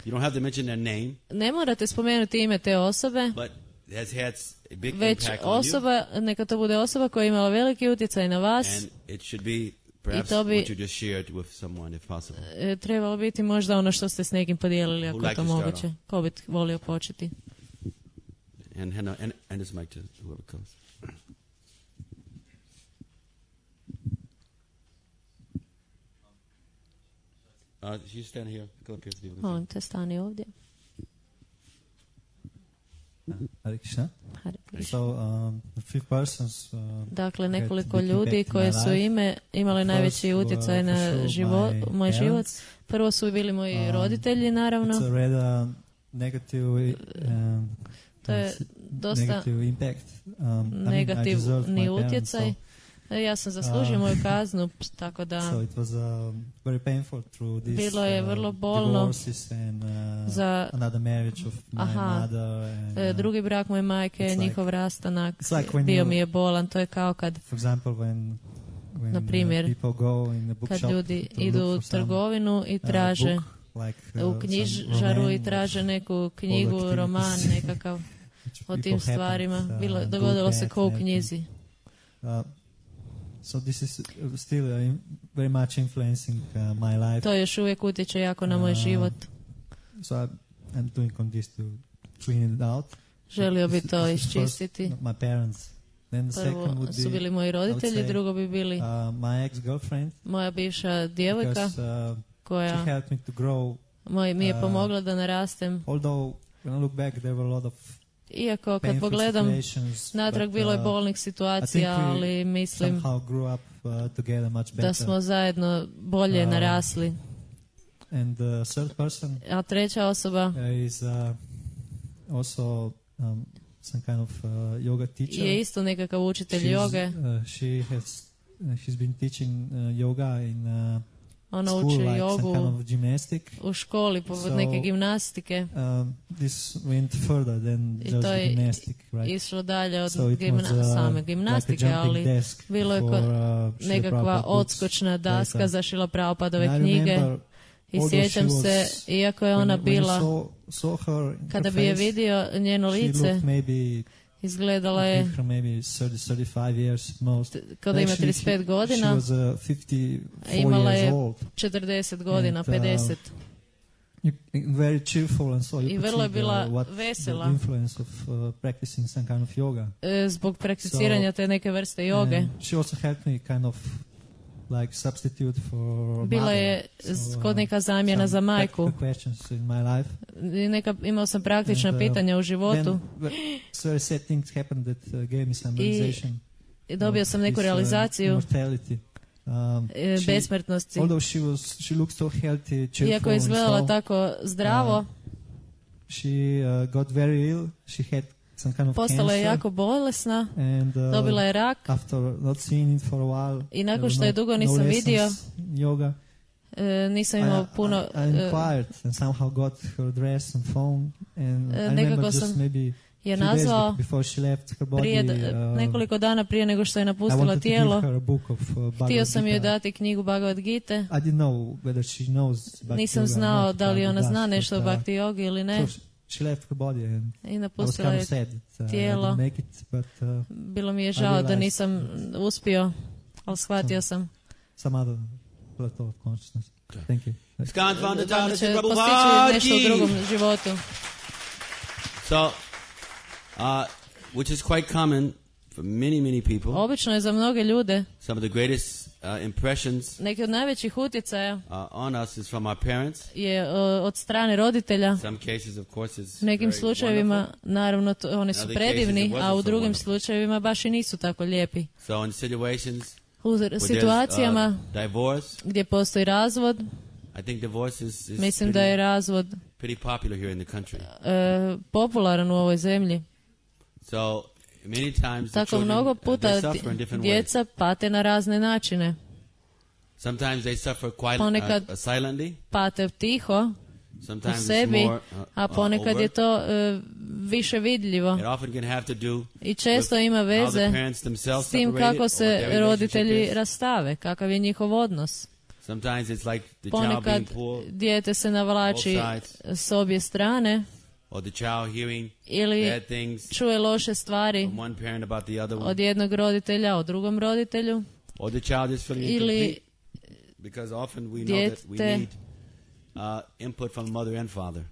you don't have to mention their name, Ne morate spomenuti ime te osobe, but it has had s- a big već impact on you, osoba, neka to bude osoba koja je imala veliki utjecaj na vas. and it should be perhaps to bi- what you just shared with someone, if possible. E, trebalo biti možda ono što ste s nekim podijelili, ako Who je like to to start moguće. Ko bi volio početi? And hand, and, and this mic to whoever comes. Uh, you stand here. Go up here so people can see. Molim te, stani ovdje. Hare Krishna. Hare Krishna. So, um, the few persons, uh, Dakle, had nekoliko big ljudi impact in koje my su life. ime imali First najveći were utjecaj for na sure živo, my moj život. parents. Prvo su bili moji Um, roditelji, naravno. It's a rather negative, um, To je s- dosta negative impact. Um, I mean, I deserved negativni my parents, utjecaj. E, Ja sam zaslužio Uh, moju kaznu, tako so, da so it was um, very painful through this Bilo je uh, vrlo bolno divorces and uh, za another marriage of my Aha. mother. And, e, uh, drugi brak moje majke, it's like- njihov rastanak, it's like when bio you- mi je bolan. To je kao kad, For example, when when Na primjer, uh, people go in the bookshop kad ljudi to idu look u for some, trgovinu i uh, traže book, like, uh, u some knjižaru roman i traže neku knjigu, activities. roman nekakav which o people tim happened, stvarima. uh, Bilo, good, dogodilo se bad, ko u everything. knjizi. Uh, so this is uh, still uh, in- very much influencing uh, my life. To još uvijek utječe jako na moj Uh, život. So I, I'm doing on this to clean it out. Želio bi This- to this is first iščistiti. My parents. Then the second Prvo would su be bili moji roditelji, say, drugo bi bili uh, my ex-girlfriend. moja bivša djevojka Because uh, she koja helped me to grow. moj, mi je uh, pomogla da narastem. Although when I look back, there were a lot of Iako kad painful pogledam situations, natrag, but, bilo je uh, bolnih I situacija, think we ali mislim somehow grew up uh, together much better. da smo zajedno bolje Uh, narasli. And the third person A treća osoba uh, is uh, also um, some kind of uh, yoga teacher. je isto nekakav učitelj She's, joge. uh, she has uh, she's been teaching uh, yoga in uh, Ona school, uči like some jogu kind of gymnastic. u školi poput So, neke gimnastike. Um, this went further than I just to je gymnastic, right? Išlo dalje od So it gimna- was, uh, same like gimnastike, a jumping ali desk bilo je for, ko- uh, Srila nekakva Prabhupada books odskočna daska later. za Šrila Prabhupadove And I knjige. remember, I although sjećam she se, was- iako je when ona you- when you bila, saw- saw her in kada her bi je face, vidio njeno she lice, looked maybe izgledala je give her maybe thirty, thirty-five years most. kada ima Actually, trideset pet she- godina, She was uh, fifty-four imala years je old. četrdeset godina, And, uh, pedeset. You, very cheerful and so you I could vrlo je see the- bila what vesela. the influence of uh, practicing some kind of yoga. E, zbog prakticiranja te neke vrste joge. And she also helped me kind of like substitute for Bila mother. je So, s- uh, kod neka zamjena some za majku. practical questions in my life. I neka, imao sam praktična And, uh, pitanja u Then životu ve- very sad things happened that uh, gave me some I realization. i dobio sam of neku this, uh, realizaciju immortality. Um, e, she- besmrtnosti. Although she was, she looked so healthy, cheerful, Iako je and izgledala so, tako zdravo, uh, she uh, got very ill. She had some kind of postala je cancer, jako bolesna, and uh, dobila je rak after not seeing it for a while, i nakon there were što je no- dugo no nisam lessons vidio, in yoga. e, nisam imao I, puno... I, I e, inquired and somehow got her address and phone, and E, I nekako remember just sam maybe je few days nazvao be- before she left her body. prije, d- uh, nekoliko dana prije nego što je I napustila wanted to tijelo. give her a book of uh, Bhagavad Htio sam joj Gita. dati knjigu Bhagavad Gita. I didn't know whether she knows Bhakti Nisam yoga or znao not, da li but ona does, zna but, nešto o uh, Bhakti jogi ili ne. So she, she left her body, and I I was napustila kind je of sad that uh, I tijelo. didn't make it, but uh, Bilo mi je I žao da realized- nisam uspio, ali shvatio sam some other plateau of consciousness. Thank you. Skan founder da Thomas će and postići Prabhupada nešto u ki. drugom životu. So, uh, which is quite common for many, many people. Obično je za mnoge ljude Some of the greatest uh, impressions neki od najvećih utjecaja uh, on us is from our parents. je o, od strane roditelja. Some cases, of course, is U nekim very slučajevima, wonderful. naravno, to, oni su Other predivni, cases it a wasn't u so drugim wonderful. slučajevima baš i nisu tako lijepi. So in situations U where situacijama there's uh, divorce, gdje postoji razvod, I think divorce is, is mislim da je pretty, razvod pretty popular here in the country. e, popularan u ovoj zemlji. So many times the Tako children, mnogo uh, puta they di- suffer in different ways. djeca pate na razne načine. Sometimes they suffer quite Ponekad- uh, uh, silently. Pate tiho, u Sometimes it's sebi, more uh, a uh, ponekad je overt. to e, više vidljivo. It often can have to do I često with ima how the veze parents themselves s tim separated kako or se what their relationship roditelji is. rastave, kakav je njihov odnos. Sometimes it's like the child Ponekad being pulled, dijete se navlači both sides. s obje strane or the child hearing ili bad things čuje loše stvari from one parent about the other one, od jednog roditelja o drugom roditelju, or the child is feeling ili incomplete because often we know that we dijete- need uh, input from mother and father.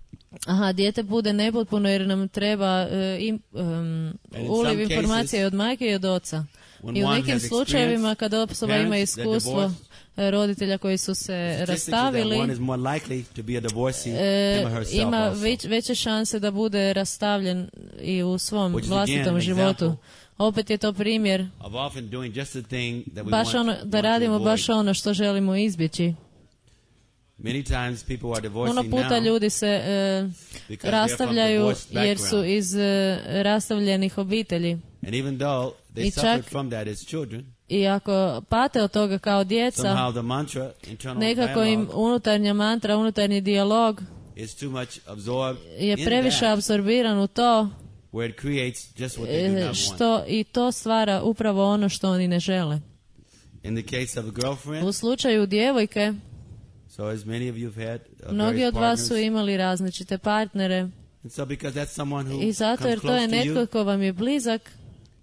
aha, dijete bude nepotpuno jer nam treba e, im, em, in uliv some informacije cases, od majke i od oca. When I u one nekim has slučajevima experienced kada osoba ima parents that iskustvo divorce, e, roditelja koji su se statistics is that rastavili, one is more likely to be a divorcee e, him or herself ima also. već, veće šanse da bude rastavljen i u svom Which is vlastitom again an životu. example Opet je to primjer of often doing just the thing that we baš want, ono, want da to radimo avoid. baš ono što želimo izbjeći. Many times people are Puno divorcing puta now ljudi se e, because they're from rastavljaju divorced jer su background. iz e, rastavljenih obitelji. And even though they I suffered čak- from that as children, I ako pate od toga kao djeca, somehow the mantra, internal nekako im dialogue, unutarnja mantra, unutarnji dijalog is too much absorbed je in previše that, apsorbiran u to where it creates just what they do e, not want. što i to stvara upravo ono što oni ne žele. In the case of a girlfriend, U slučaju djevojke, so as many of you have had uh, mnogi various od vas su partners, imali različite partnere and so because that's someone who i zato comes jer to je close to netko you, ko vam je blizak,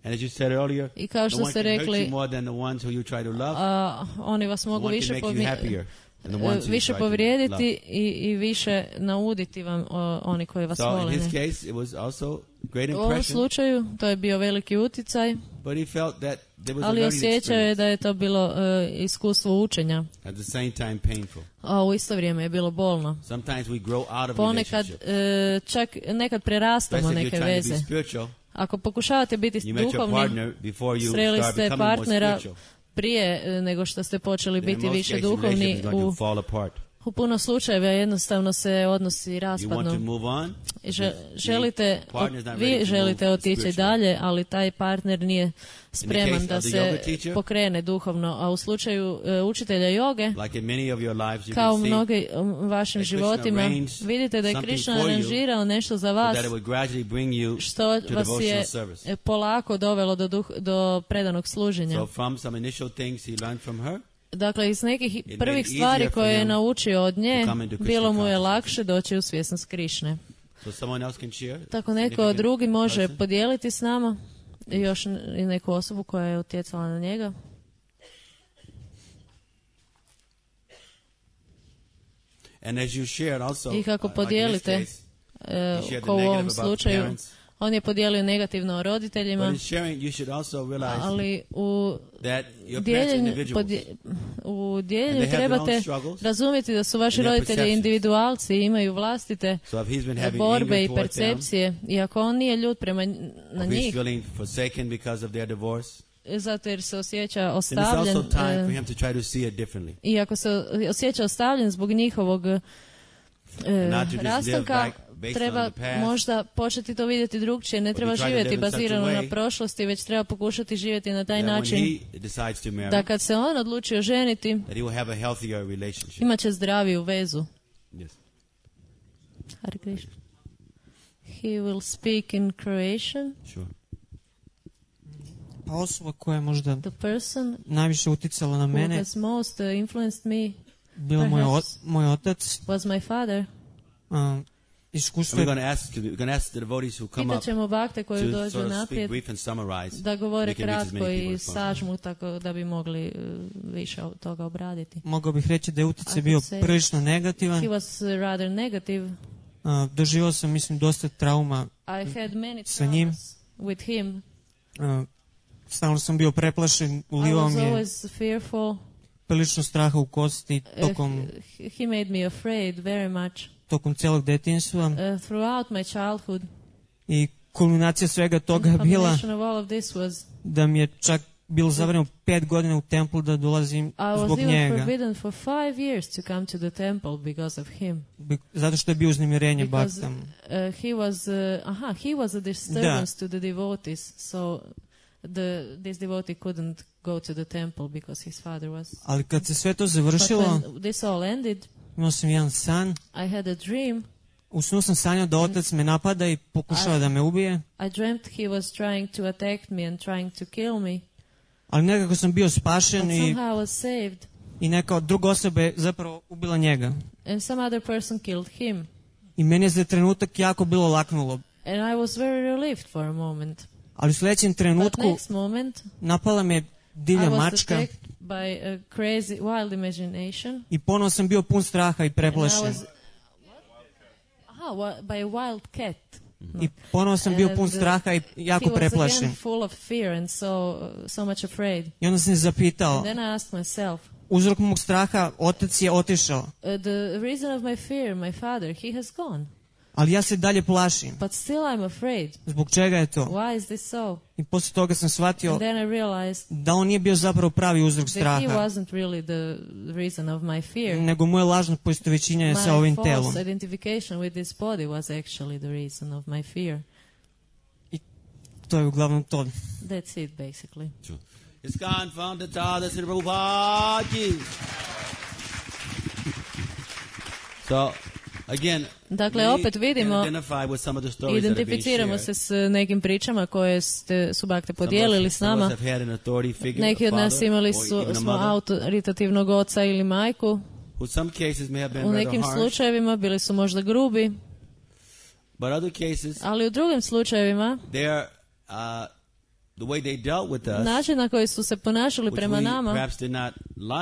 and as you said earlier, i kao no što one ste can hurt rekli, you more than the ones who you try to love. a, oni vas No mogu one can više make you povri- happier than the ones who you više try to love. povrijediti i, i više nauditi vam o, oni koji vas So vole. in his ne? case, it was also great U ovom impression, slučaju to je bio veliki uticaj, but he felt that there was a ali learning osjećao je experience, da je to bilo e, iskustvo učenja, at the same time painful. a u isto vrijeme je bilo bolno. Sometimes we grow out of Ponekad relationships. e, čak nekad prerastamo Especially if neke you're trying to be veze. spiritual, Ako pokušavate biti you met your duhovni, partner before you sreli start ste becoming more partnera spiritual. prije e, nego što ste počeli Then in biti most više cases, the duhovni, relationship is going u, to fall apart. u puno slučajeva jednostavno se odnosi You want to raspadnu. move on, I žel- želite, partner's not ready vi to želite move otići spiritually. dalje, ali taj partner nije spreman case da of the se yoga teacher, pokrene duhovno. A u slučaju e, učitelja joge, like in many of your lives, you kao u can see mnogim vašim that Krishna životima, arranged vidite da je something Krishna for you aranžirao nešto za so vas that it would gradually bring you što to vas je devotional service. e, polako dovelo do, duh, do predanog služenja. So from some initial things he learned from her, Dakle, iz nekih made prvih it stvari easier for koje je him naučio od nje, to come into Krishna bilo mu je consciousness. lakše doći u svjesnost Krišne. so someone else can share. Tako neko significant drugi može person. podijeliti s nama i još n- i neku osobu koja je utjecala na njega. And as you shared also, I kako uh, like in this podijelite, case, e, he shared the ko u ovom negative about slučaju, parents. on je podijelio negativno o But roditeljima, in sharing, you should also realize ali u that your parents are dijeljenju, individuals. podje- u And dijeljenju they have their own trebate struggles razumjeti da su vaši and their roditelji perceptions. individualci i imaju vlastite So if he's been having borbe anger i towards them, percepcije, i ako on nije ljut prema n- na if he's njih, feeling forsaken because of their divorce, zato jer se osjeća then it's ostavljen, also time e, for him to try to see it differently. i ako se osjeća ostavljen zbog njihovog e, not to just live rastanka, back based treba on the past, možda početi to vidjeti drugčije. Ne but treba we try to živjeti live in such a bazirano na way prošlosti, već treba pokušati živjeti na taj that when način he decides to marry, da kad se on odlučio ženiti, that he will have a healthier relationship. imat će zdraviju vezu. Yes. Hare Krishna. He will speak in Croatian. Sure. Pa osoba koja je možda The person najviše uticala na who mene has most uh, influenced me bio moj, o, perhaps. moj otac. was my father. Um, iskustvo And we're je, going to ask, we're going to ask the devotees who come Pitat up ćemo bakte koji to dođu sort of speak naprijed brief and summarize. da govore We can reach as kratko many people i as possible. sažmu tako da bi mogli uh, više od toga obraditi. mogao bih reći da je I utjecaj could bio say- prilično negativan. He was uh, rather negative. Uh, doživao sam, mislim, dosta trauma. I had many Sa njim. traumas with him. Uh, stalno sam bio preplašen, I ulivao was mi je always fearful. prilično straha u kosti Uh, tokom, he, he made me afraid very much tokom celog detinjstva. uh, throughout my childhood. I kulminacija svega toga je bila Combination of all of this was da mi je čak bilo zabranjeno pet godina u templu da dolazim I was zbog even njega. forbidden for five years to come to the temple because of him. Bi- Zato što je bio uznemirenje Because baktam. uh, he was, uh, aha, he was a disturbance to the devotees, so the this devotee couldn't go to the temple because his father was. Ali kad se sve to But završilo, when this all ended, Imao sam jedan san. I had a dream. U snu sam sanjao da otac me napada i pokušava da me ubije. I dreamt he was trying to attack me and trying to kill me. Ali nekako sam bio But spašen i, somehow I was saved. i neka druga osoba je zapravo ubila njega. And some other person killed him. I meni je za trenutak jako bilo laknulo. And I was very relieved for a moment. Ali u sljedećem But trenutku next moment, napala me I divlja was mačka attacked by a crazy, wild imagination. i ponovo sam bio pun straha i And I preplašen. was, aha, wa- by a wild cat. I ponovo sam bio And, pun uh, straha i jako He was preplašen. again full of fear and so, so much afraid. I onda sam se zapitao, And then I asked myself, uzrok mog straha, otac je otišao, uh, the reason of my fear, my father, he has gone. ali ja se dalje plašim. But still I'm afraid. Zbog čega je to? Why is this so? I poslije toga sam shvatio And then I realized da on nije bio zapravo pravi uzrok that he straha, wasn't really the reason of my fear. nego moje lažno poistovjećenje sa My ovim false telom. identification with this body was actually the reason of my fear. To je uglavnom to. That's it, basically. ISKCON founder Tata Sri Prabhupada ki. So, again, Dakle, we opet can vidimo, identify with some of the stories that have been identificiramo shared. se s nekim pričama koje ste subakte Some of us- podijelili s some of us nama. have had an authority figure, Neki a od nas father, imali or su, even a smo mother, autoritativnog oca ili majku. who some cases may have been U rather nekim harsh, slučajevima bili su možda grubi, but other cases, ali u drugim slučajevima they're, uh, the way they dealt with us, način na koji su se ponašali which prema we nama, perhaps did not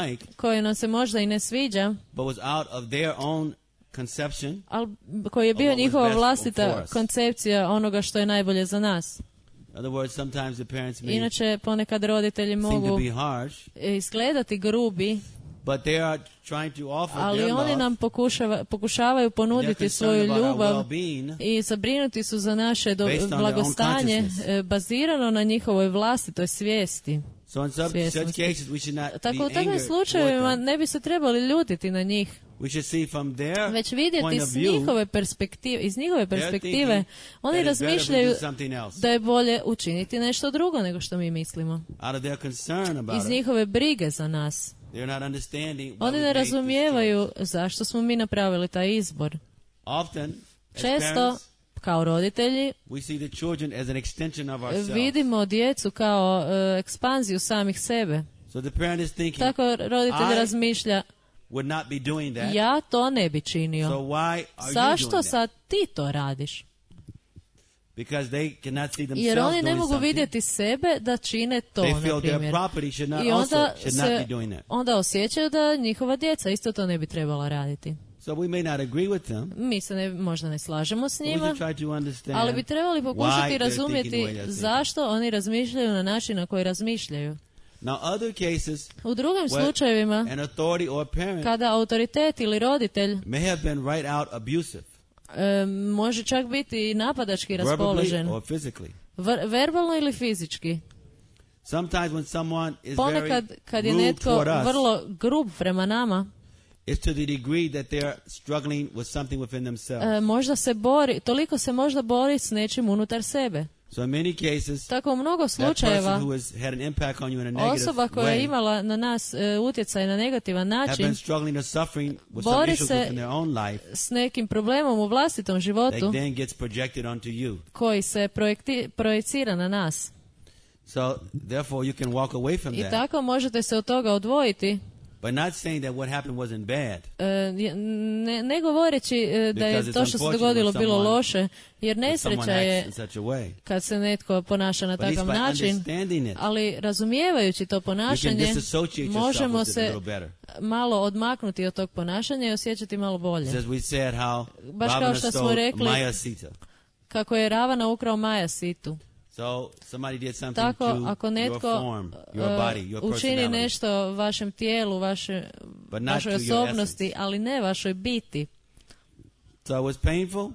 like, koji nam se možda i ne sviđa, but was out of their own conception, ali koji je bio Of what was njihova best for vlastita us. koncepcija onoga što je najbolje za nas. in other words, sometimes the parents may Inače, ponekad roditelji seem to mogu be harsh, izgledati grubi, but they are trying to offer ali their oni love, nam pokušava, pokušavaju and they're ponuditi concerned svoju about our ljubav well-being, i zabrinuti su za naše do, Based on their own blagostanje consciousness. e, bazirano na njihovoj vlastitoj svijesti. so in some, such Svjesnosti. cases we should not be Tako u takvim angered slučajevima toward them. ne bi se trebali ljutiti na njih, We should see from their već point vidjeti of s view, njihove perspektive, iz njihove they're perspektive, thinking oni that it's better if we razmišljaju do something else. da je bolje učiniti nešto drugo nego što mi mislimo. Out of their concern about Iz us, njihove brige za nas. they're not understanding why Oni we ne make this razumijevaju choice. zašto smo mi napravili taj izbor. Often, as Često, parents, kao roditelji, we see the children as an extension of ourselves. vidimo djecu kao e, ekspanziju samih sebe. So the parent is thinking, Tako roditelj I razmišlja, would not be doing that. ja to ne bi So činio. why are you Zašto doing that? sad ti to radiš? Because they cannot see themselves Jer oni ne doing mogu something. vidjeti sebe da čine to, They na feel their primjer. property should not I also onda should not se be doing that. onda osjećaju da njihova djeca isto to ne bi trebala raditi. So we may not agree with them. Mi se ne, možda ne slažemo s But we njima, should try to understand ali bi trebali why pokušati they're razumjeti thinking the way they're thinking. zašto oni razmišljaju na način na koji razmišljaju. Now other cases, U drugim where slučajevima, an authority or parent kada autoritet ili roditelj may have been right out abusive, e, može čak biti i napadački verbally raspoložen, or physically. Ver- verbalno ili fizički. Sometimes when someone is Ponekad very kad je rude netko toward us, vrlo grub prema nama, it's to the degree that they're struggling with something within themselves. e, možda se bori, toliko se možda bori s nečim unutar sebe. So in many cases, Tako u mnogo that person slučajeva who has had an impact on you in a negative osoba koja je way imala na nas e, utjecaj na negativan have način been struggling or suffering with some bori issues se within their own life s nekim problemom u vlastitom that životu then gets projected onto you. koji se projekti, projecira na nas. So therefore you can walk away from I that, tako možete se od toga odvojiti, but not saying that what happened wasn't bad. e, ne, ne govoreći e, da Because je it's to što se unfortunate dogodilo when bilo someone- loše, jer When someone nesreća acts je in such a way. kad se netko ponaša na But at least takav by način, understanding it, ali razumijevajući to you can ponašanje, disassociate yourself možemo with it a se little better. malo odmaknuti od tog ponašanja i osjećati malo bolje. Just as we said how Baš kao Ravana što smo stole rekli, Maya Sita. Kako je Ravana ukrao Maja Situ. So somebody did something Tako, to ako your netko form, your uh, body, your učini personality. nešto vašem tijelu, vaše, But not vašoj to your osobnosti, essence. ali ne vašoj biti. So it was painful,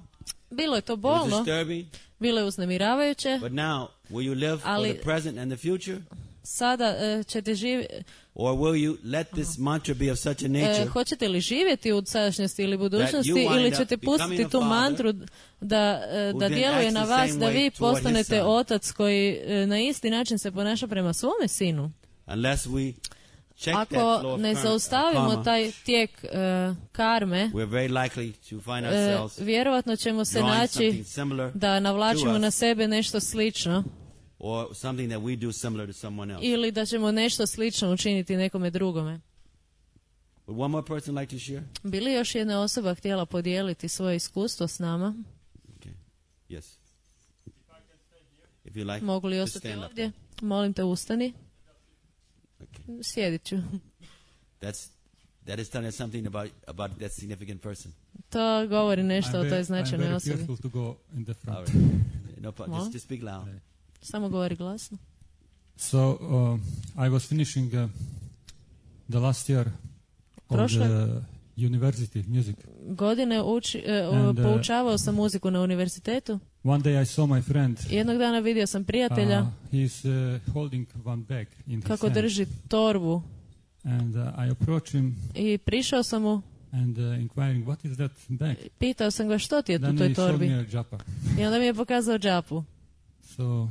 Bilo je to it was bolno, disturbing, bilo je uznemiravajuće, but now will you live for Ali- the present and the future? sada uh, ćete živjeti, Or will you let this mantra be of such a nature hoćete li živjeti u sadašnjosti ili budućnosti you wind ili up ćete becoming pustiti a tu father mantru da, uh, who da then djeluje acts na the vas, same da way vi toward his postanete son? otac koji uh, na isti način se ponaša prema svome sinu. unless we check that Ako flow of ne karma, zaustavimo karma, taj tijek uh, karme, we're very likely to find uh, ourselves vjerojatno ćemo se drawing naći something similar da navlačimo to us. na sebe nešto slično or something that we do similar to someone else. ili da ćemo nešto slično učiniti nekome drugome. Would one more person like to share? Bi li još jedna osoba htjela podijeliti svoje iskustvo s nama? Okay. Yes. If you like, Mogu li just ostati stand up. ovdje? Molim te, ustani. Okay. Sjedit ću. That's that is telling us something about about that significant person. To govori nešto I'm o very, toj I'm značajnoj very osobi. careful to go in the front. All right. No problem. Well. Just, just speak loud. Samo govori glasno. So uh, I was finishing uh, the last year of Prošle the university music. godine uči, uh, And, uh, poučavao sam muziku na univerzitetu. One day I saw my friend. Jednog dana vidio sam prijatelja Uh, he's uh, holding one bag in his kako hand. drži torbu And uh, I approached him i prišao sam mu, and uh, inquiring what is that bag. pitao sam ga što ti je tu u Then toj he showed torbi. me a japa. I onda mi je pokazao džapu. So a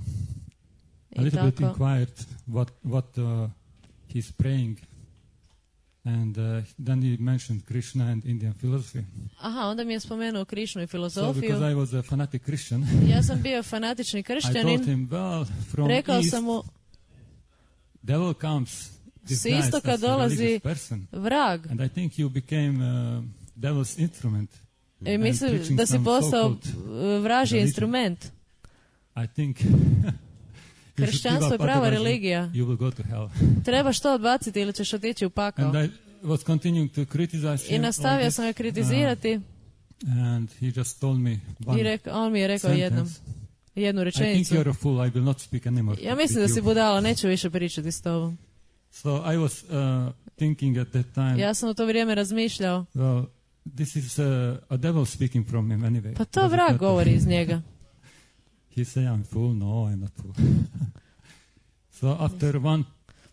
I little bit tako. inquired what what uh, he's praying. And uh, then he mentioned Krishna and Indian philosophy. Aha, onda mi je spomenuo Krišnu i So filozofiju. because I was a fanatic Christian, Ja sam bio fanatični I told kršćanin. him, well, from Rekao east, sam mu, devil comes s disguised istoka as a dolazi religious person. vrag. And I think you became uh, devil's instrument. I and mislim preaching da si some postao so-called uh, vražji religion. instrument. I think you should give Kršćanstvo je up, prava otherwise religija. You will go to hell. Trebaš to odbaciti ili ćeš otići u pakao. And I was continuing to criticize I him nastavio on sam ga this, kritizirati uh, and he just told me one i reka, on mi je rekao sentence. jednom, jednu I think rečenicu. you're a fool. I will not speak anymore. Ja mislim with da si you. budala, neću više pričati s tobom. So I was uh, thinking at that time, Ja sam u to vrijeme razmišljao, well, this is uh, a devil speaking from him anyway. pa to Doesn't vrag matter. govori iz njega. He said, I'm fool. No, I'm not fool. So after one,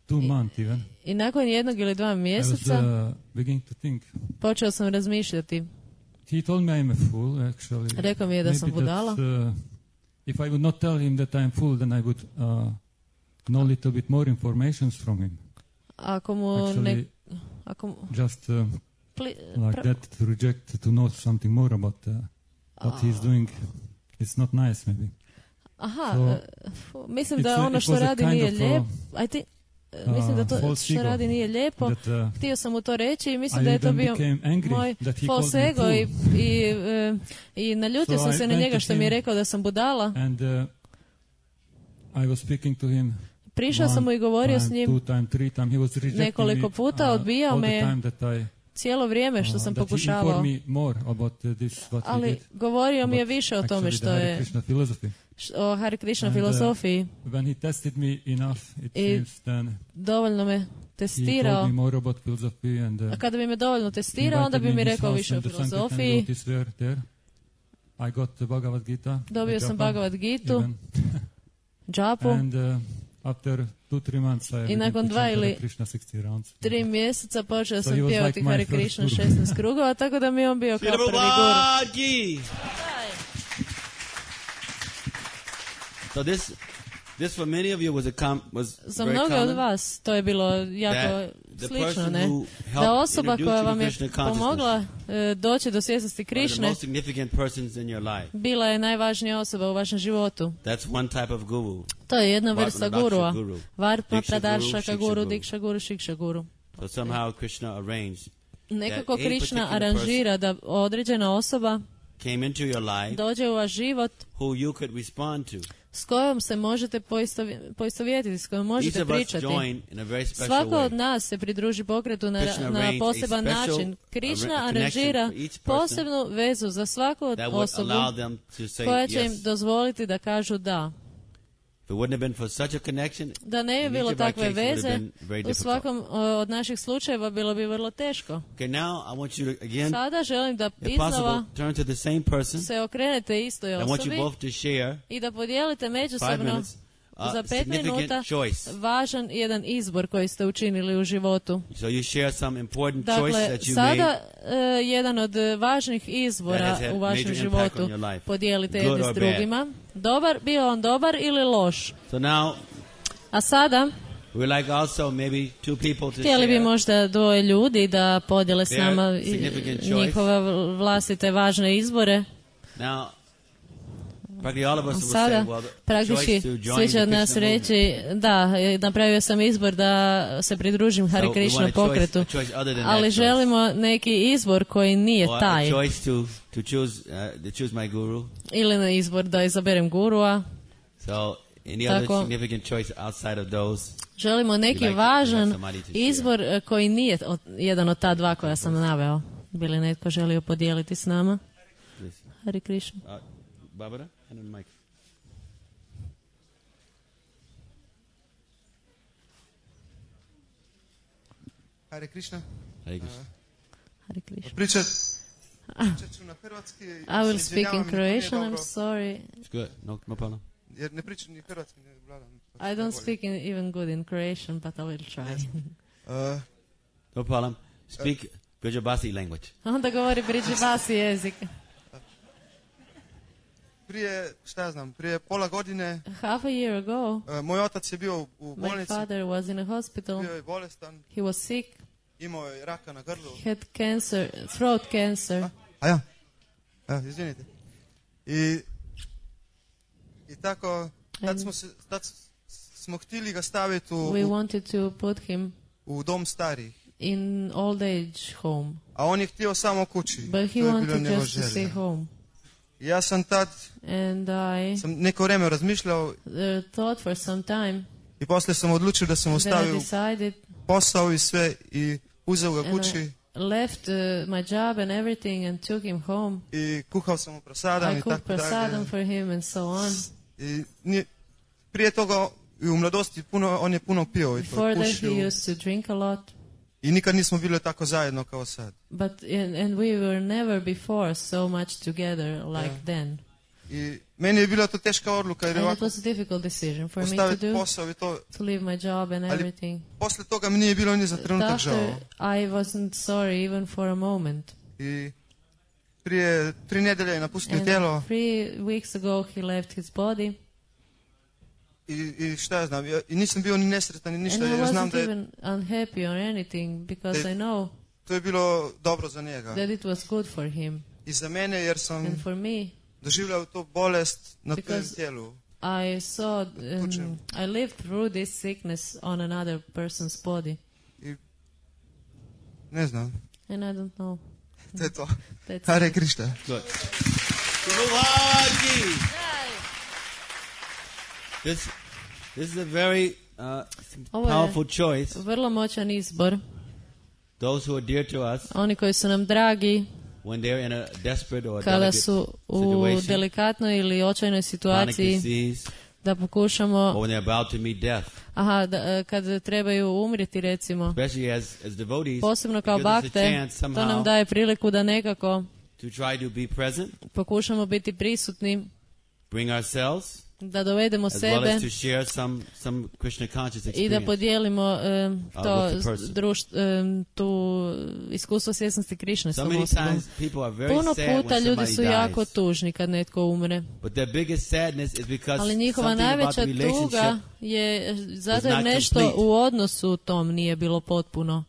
two months even, I nakon jednog ili dva I was mjeseca uh, beginning to think. počeo sam razmišljati. He told me I'm a fool, actually. Rekao mi je da sam Maybe budala. that's, uh, if I would not tell him that I'm fool, then I would uh, know a little bit more informations from him. Ako mu ne... Actually, Ako mu, just uh, pli, like pra- that, to reject, to know something more about uh, what he's doing. It's not nice, maybe. Aha, So, e, fu, mislim it's da a- ono it što was a radi kind nije of, uh, lijepo. I think, e, mislim da to uh, false što ego radi nije lijepo. That, uh, Htio sam mu to reći i mislim I da je to even bio became angry moj that he false called me ego i, fool. i, e, i naljutio So sam I se na went njega to što mi je him rekao da sam budala. And uh, I was speaking to him Prišao sam mu i one govorio s time, njim two time, three time. He was rejecting nekoliko me, puta, uh, odbijao all me the je time that I, cijelo vrijeme što uh, sam that he pokušavao. informed me more about uh, this, what he Ali did. govorio mi je about više o tome actually što the Hare je Krishna philosophy. š- o Hare Krishna And, uh, filozofiji. When he tested me enough, it I seems then Dovoljno me he testirao. told me more about philosophy and uh, A kada bi me dovoljno testirao, invited onda bi me mi in his rekao house više o and the Sankirtan filozofiji. devotees were there. I got the Bhagavad Gita. Dobio the sam japa, Bhagavad Gitu, even. džapu. And uh, after two, three months, I I began nakon to dva chant Hare ili Krishna sixty rounds. Tri mjeseca počeo So sam he was pjevati like my Hare first Krishna guru. šesnaest krugova, tako da mi je on bio kao prvi guru. Prabhupada ki. So this, this for many of you was a com, was Za very mnoge od common. vas to je bilo jako That the slično, person ne? who Da helped osoba introduce koja you to vam je Krishna consciousness pomogla e, doći do svjesnosti are the Krišne most significant persons in your life. bila je najvažnija osoba u vašem životu. That's one type of guru. To je jedna Varma vrsta Daksha gurua. guru. Varma Diksha guru, Pradarshaka Shiksha guru, guru. Diksha guru, Shiksha guru. So somehow Krishna arranged Nekako that a Krišna particular aranžira da određena osoba came into your life dođe u vaš život who you could respond to. s kojom se možete poistovi- poistovjetiti, s kojom Each možete of us pričati. join in a very special Svako od way. nas se pridruži pokretu na, Krishna na arranged poseban a special način. Krišna arra- aranžira connection for each person posebnu vezu za svaku od That would osobu allow them to say koja će im yes. dozvoliti da kažu da. If it wouldn't have been for such a connection, Da ne in bi each bilo of our takve cases would have veze, been very u difficult. svakom o, od naših slučajeva bilo bi vrlo teško. Okay, now I want you to again, Sada želim da if possible, iznova turn to the same person. se okrenete istoj I want you osobi both to share i da podijelite five međusobno minutes uh, za pet minuta significant choice. važan jedan izbor koji ste učinili u životu. So you share some important choice Dakle, that you sada made. e, jedan od e, važnih That izbora has had u vašem major impact životu on your life. podijelite Good jedni or s bad. drugima. Dobar, bio on dobar ili loš. So now, A sada, We like also maybe two people to Htjeli bi share. možda dvoje ljudi da podijele s Their nama i- significant choice. njihove vlastite važne izbore. Now, practically all of us will Sada say, well, the praktički choice to svi join će the od nas Krishna movement. reći da, e, napravio sam izbor da se pridružim Hare So we Krishna want a choice- pokretu, a choice other than ali that choice. želimo neki izbor koji nije Or a taj. choice to, to choose uh, to choose my guru. Ili na izbor da izaberem gurua. So any other Tako. significant choice outside of those? Želimo neki like to važan have somebody to share. izbor e, koji nije od- jedan od ta dva koja sam naveo. Bi li netko želio podijeliti s nama? Please. Hare Krishna. Uh, Barbara, hand on the mic. Hare Krishna. Hare Krishna. Hare Krishna. Pričat, pričat ću na hrvatski. I will se speak in izvinjavam, to nije Croatian, I'm dobro, sorry. It's good. No, no problem. Jer ne pričam ni hrvatski, ne vladam. I don't speak in, even good in Croatian, but I will try. Uh, No problem. Speak Brajabasi language. Onda govori Bridžibasi jezik. prije, šta ja znam, prije pola godine Half a year ago, uh, moj otac je bio u my bolnici, father was in a hospital. bio je bolestan, He was sick. imao je raka na grlu. He had cancer, throat cancer. A, a ja, a, izvinite. I, i tako, tad And- smo, se, tad s- smo htjeli ga staviti u, We u, wanted to put him u dom starih. in old age home, A on je htio samo kući. but he to je bilo wanted njegova just to stay želja. home. I ja sam tad, And I sam neko vrijeme razmišljao uh, thought for some time. i poslije sam odlučio da sam Then I ostavio decided posao i sve i uzeo ga and kući I left uh, my job and everything and took him home. i kuhao sam mu prasadam I i cooked tako dalje. prasadam for him and so on. I nije, prije toga i u mladosti puno, on je puno pio i to Before that he pušio. used to drink a lot. I nikad nismo bili tako zajedno kao sad. But and, and we were never before so much together like Yeah. then. I meni je bila to teška odluka jer je And it ovako was a difficult decision for me to ostaviti do, posao i to. to leave my job and Ali everything. poslije toga mi nije bilo ni za trenutak After, žao. I wasn't sorry even for a moment. I prije tri nedelje je napustio And tijelo three weeks ago he left his body. i, i šta ja znam, ja, i nisam bio ni nesretan ni ništa And I jer znam wasn't da je, even unhappy or anything because da je- I know to je bilo dobro za njega. that it was good for him. I za mene jer And sam for me, doživljao to bolest na Because- tujem tijelu. I saw, Tuđem. um, I lived through this sickness on another person's body. Ne znam, And I don't know. to je to. That's Hare Krishna. Good. Bhagavad. This, this is a very uh, Ovo je powerful choice. vrlo moćan izbor. Those who are dear to us, Oni koji su nam dragi when they're in a desperate or kada delicate su u situation, delikatnoj ili očajnoj chronic situaciji disease, da pokušamo, or when they're about to meet death, aha, da, e, kad trebaju umrijeti recimo, especially as, as devotees, posebno it kao gives us a bakte, chance to nam somehow daje priliku da nekako to try to be present, pokušamo biti prisutni, bring ourselves, da dovedemo as well sebe as to share some, some Krishna conscious i da experience. podijelimo em, Uh, to with the person. društvo, em, tu iskustvo svjesnosti Krišne s So tom many osobom. times people are very Puno sad puta when ljudi somebody su jako dies. tužni kad netko umre, But their biggest sadness is because ali njihova something about najveća the relationship tuga je zato jer not nešto complete. u odnosu tom nije bilo potpuno,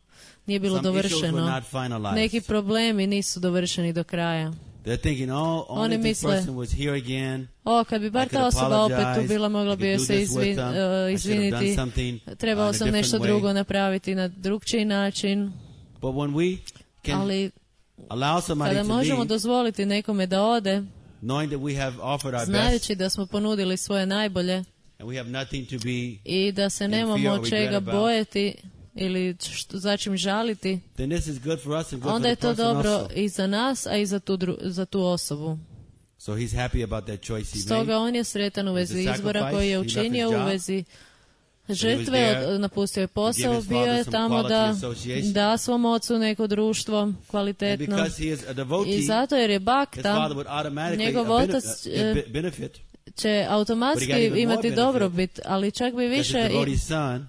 nije bilo some issues were dovršeno. not finalized. Neki problemi nisu dovršeni do kraja. They're thinking, oh, only Oni if this misle, person was here again. O, kad bi bar I ta could osoba opet tu apologize, bila, mogla I bi joj could do se this with izvin, them, uh, I should have done izviniti. something, Trebao uh, in a sam nešto different way. drugo napraviti na drugčiji način, But when we can ali allow somebody kada to možemo leave, dozvoliti nekome da ode, knowing that we have offered our best znajući da smo ponudili svoje najbolje and we have nothing to be, i da se in nemamo fear or čega regret about, bojati ili što, za čim žaliti, then this is good for us and good onda for je the to person dobro also. i za nas, a i za tu, dru- za tu osobu. So he's happy about that choice he Stoga made. on je sretan u vezi With the izbora sacrifice, koji je he left his učinio u job. vezi was žrtve, there od- napustio je to give posao, his bio je father some tamo quality da association. da svom ocu neko društvo And kvalitetno. because he is a devotee, I zato jer je his bakta, father would automatically njegov a bene- otac, a eh, be- benefit. će But he got automatski even more imati benefit. dobrobit, ali čak bi Because his više, i, devotee son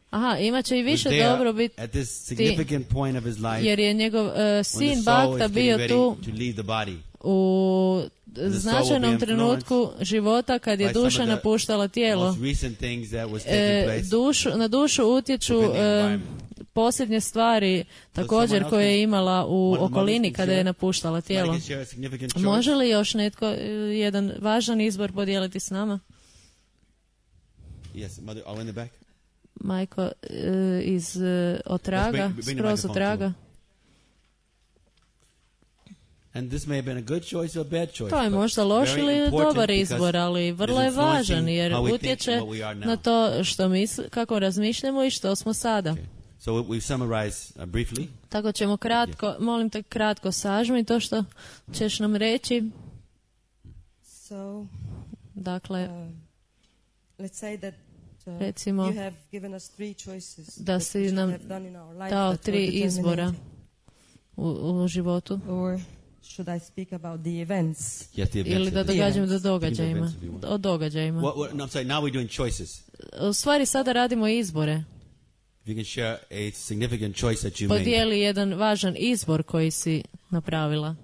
aha, imat će i was više there dobrobit, at this significant point of his life jer je njegov uh, when the sin soul bakta is bio getting tu ready to leave the body. u značajnom influenced trenutku života kad je by some duša of the napuštala tijelo. most recent things that was taking E, place dušu, na dušu utječu within the e, environment. posljednje stvari također someone else koje je can- imala u one- one okolini can kada je share- napuštala Somebody tijelo. can share a significant choice? Može li još netko e, jedan važan izbor podijeliti s nama? Yes, mother, all in the back. Majko e, iz e, otraga, Let's bring- bring the skroz microphone otraga. And this may have been a good choice or a bad choice. To je but možda loš very ili important dobar because izbor, ali vrlo it je is važan influencing jer how we think utječe and what we are now. na to što misl, kako razmišljamo i što smo sada. Okay. So we- we summarize uh, briefly. Tako ćemo kratko, molim te kratko sažmi to što ćeš nam reći. So, Dakle, uh, let's say that uh, Recimo, you have given us three choices da that si we should nam have done in our life dao that were tri izbora determinating. u, u životu. Or should I speak about the events? Yes, the Ili da events. događamo do Think of događajima. events if you want. O događajima. What, what, no, I'm sorry, now we're doing choices. U stvari sada radimo izbore. If you can share a significant choice that you made. Podijeli jedan važan izbor koji si napravila.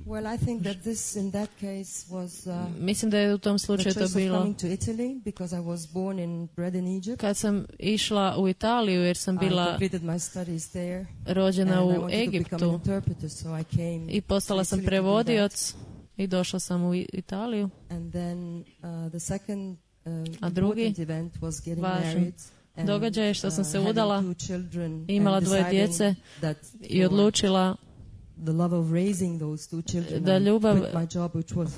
Well, I think that this, in that case, was uh, Mislim da je u tom the slučaju choice to of bilo coming to Italy because I was born and bred in Egypt. kad sam išla u Italiju jer sam I bila completed my studies there. rođena and I u wanted to become an Egiptu interpreter, so I came i postala to sam Italy to do prevodioc i došla sam u I- Italiju. that. And then uh, the second uh, A drugi important event was getting važan married. and, događaj je što sam se uh, having udala, two children imala and dvoje deciding djece that i for odlučila the love of raising those two children, da I ljubav- quit my job, which was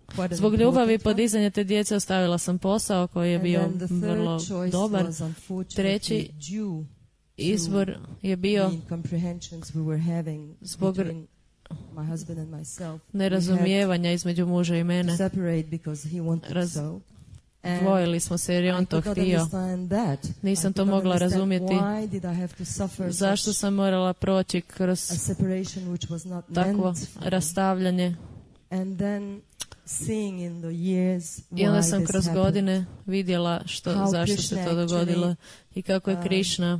quite an zbog ljubavi i important one. podizanja te djece ostavila sam posao koji je And bio then the third vrlo choice dobar. was unfortunately Treći due izbor je bio the incomprehensions we were having Zbog between my husband and myself. We nerazumijevanja između muža i had to mene. separate because he wanted Raz- so. And Dvojili smo se jer je on I to could not htio. understand that. Nisam I to could not mogla understand razumjeti. why did I have to suffer Zašto such sam morala proći kroz a separation which was not takvo meant for me. rastavljanje. And then seeing in the years I onda why sam this kroz happened. godine vidjela što, How zašto Krishna se to dogodilo i kako je um, Krišna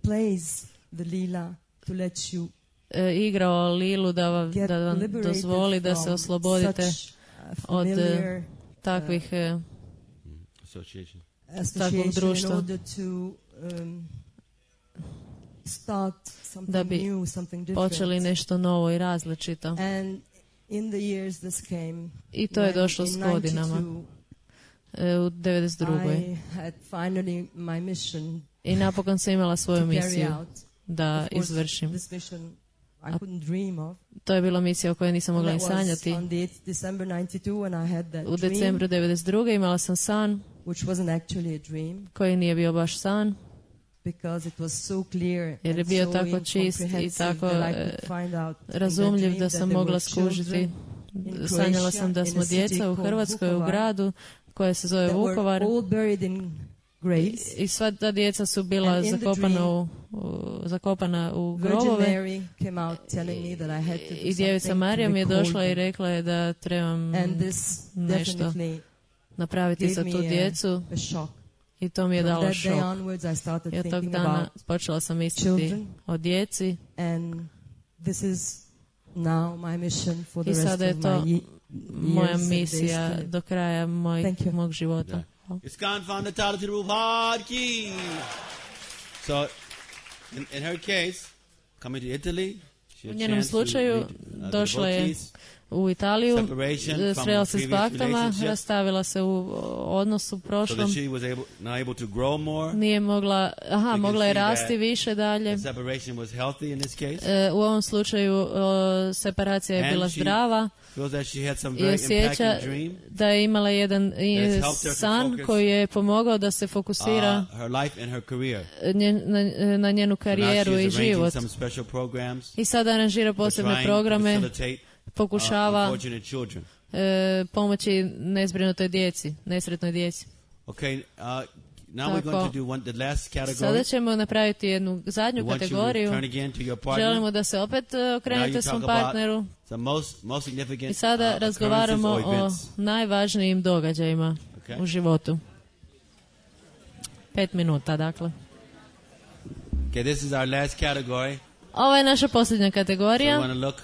plays the lila to let you e, igrao Lilu da vam, get da vam liberated dozvoli da se from oslobodite such a od, familiar takvih e, Association. association in društva. order to um, start something Da bi new, something different. počeli nešto novo i različito. And in the years this came, I to je when došlo in s godinama. ninety-two, E, u devedeset drugoj. I had finally my mission I napokon sam imala svoju to carry misiju out. da Of course, izvršim. This mission I couldn't dream of. To je bila misija o kojoj nisam mogla ni That was sanjati. on the eighth December ninety-two when I had that U dream, decembru devedeset druge imala sam san which wasn't actually a dream koji nije bio baš san, because it was so clear jer je and bio so tako čist i incomprehensive tako that I e, could find out in that razumljiv dream da that sam there mogla were skužiti. children in Sanjala Croatia, sam da in smo a city djeca u called Hrvatskoj, u Vukovar, gradu koje se zove that were Vukovar. all buried in graves. I sva ta djeca su bila And in the zakopana dream, u, u, zakopana u Virgin grobove. Mary came out telling me that I had to do I djevica something Marija to mi je recall došla i them. rekla je da trebam And this nešto definitely napraviti gave za me tu a- djecu a shock. i to mi je From dalo that day šok. onwards I started I od tog thinking dana about počela sam misliti children. o djeci and this is now my mission for the i rest sada je of to my ye- moja years and misija days. do kraja moj, Thank you. mog života. Yeah. Iskan found the title to the roof hard key. So, in, in her case, coming to Italy, she U had njenom chance to slučaju meet, uh, došla je devotees. u Italiju, Separation e, from srela se s previous baktama, relationship. rastavila se u odnosu So that prošlom, she was able, now able to grow more. nije mogla, aha, can mogla je see that rasti više dalje. The separation was healthy in this case. E, u ovom slučaju o, separacija je And bila she zdrava Feels that she had some i very osjeća impacting dream. da je imala jedan i, That has helped her to san focus, koji je pomogao da se fokusira Uh, her life and her career. njen, na, na njenu So now karijeru she i is arranging život. some special programs I sada aranžira to posebne try and programe, facilitate uh, pokušava unfortunate children. e, pomoći nezbrinutoj djeci, nesretnoj djeci. Okay, uh, now we're Tako. going to do one, the last Sada category. ćemo napraviti jednu We zadnju want you to kategoriju. turn again to your partner. Želimo da se opet e, Now okrenete you svom talk about partneru. the most, most significant I sada uh, razgovaramo occurrences or o events. najvažnijim događajima Okay. u životu. Pet minuta, dakle. Okay, this is our last category. Ovo je naša posljednja So we kategorija. want to look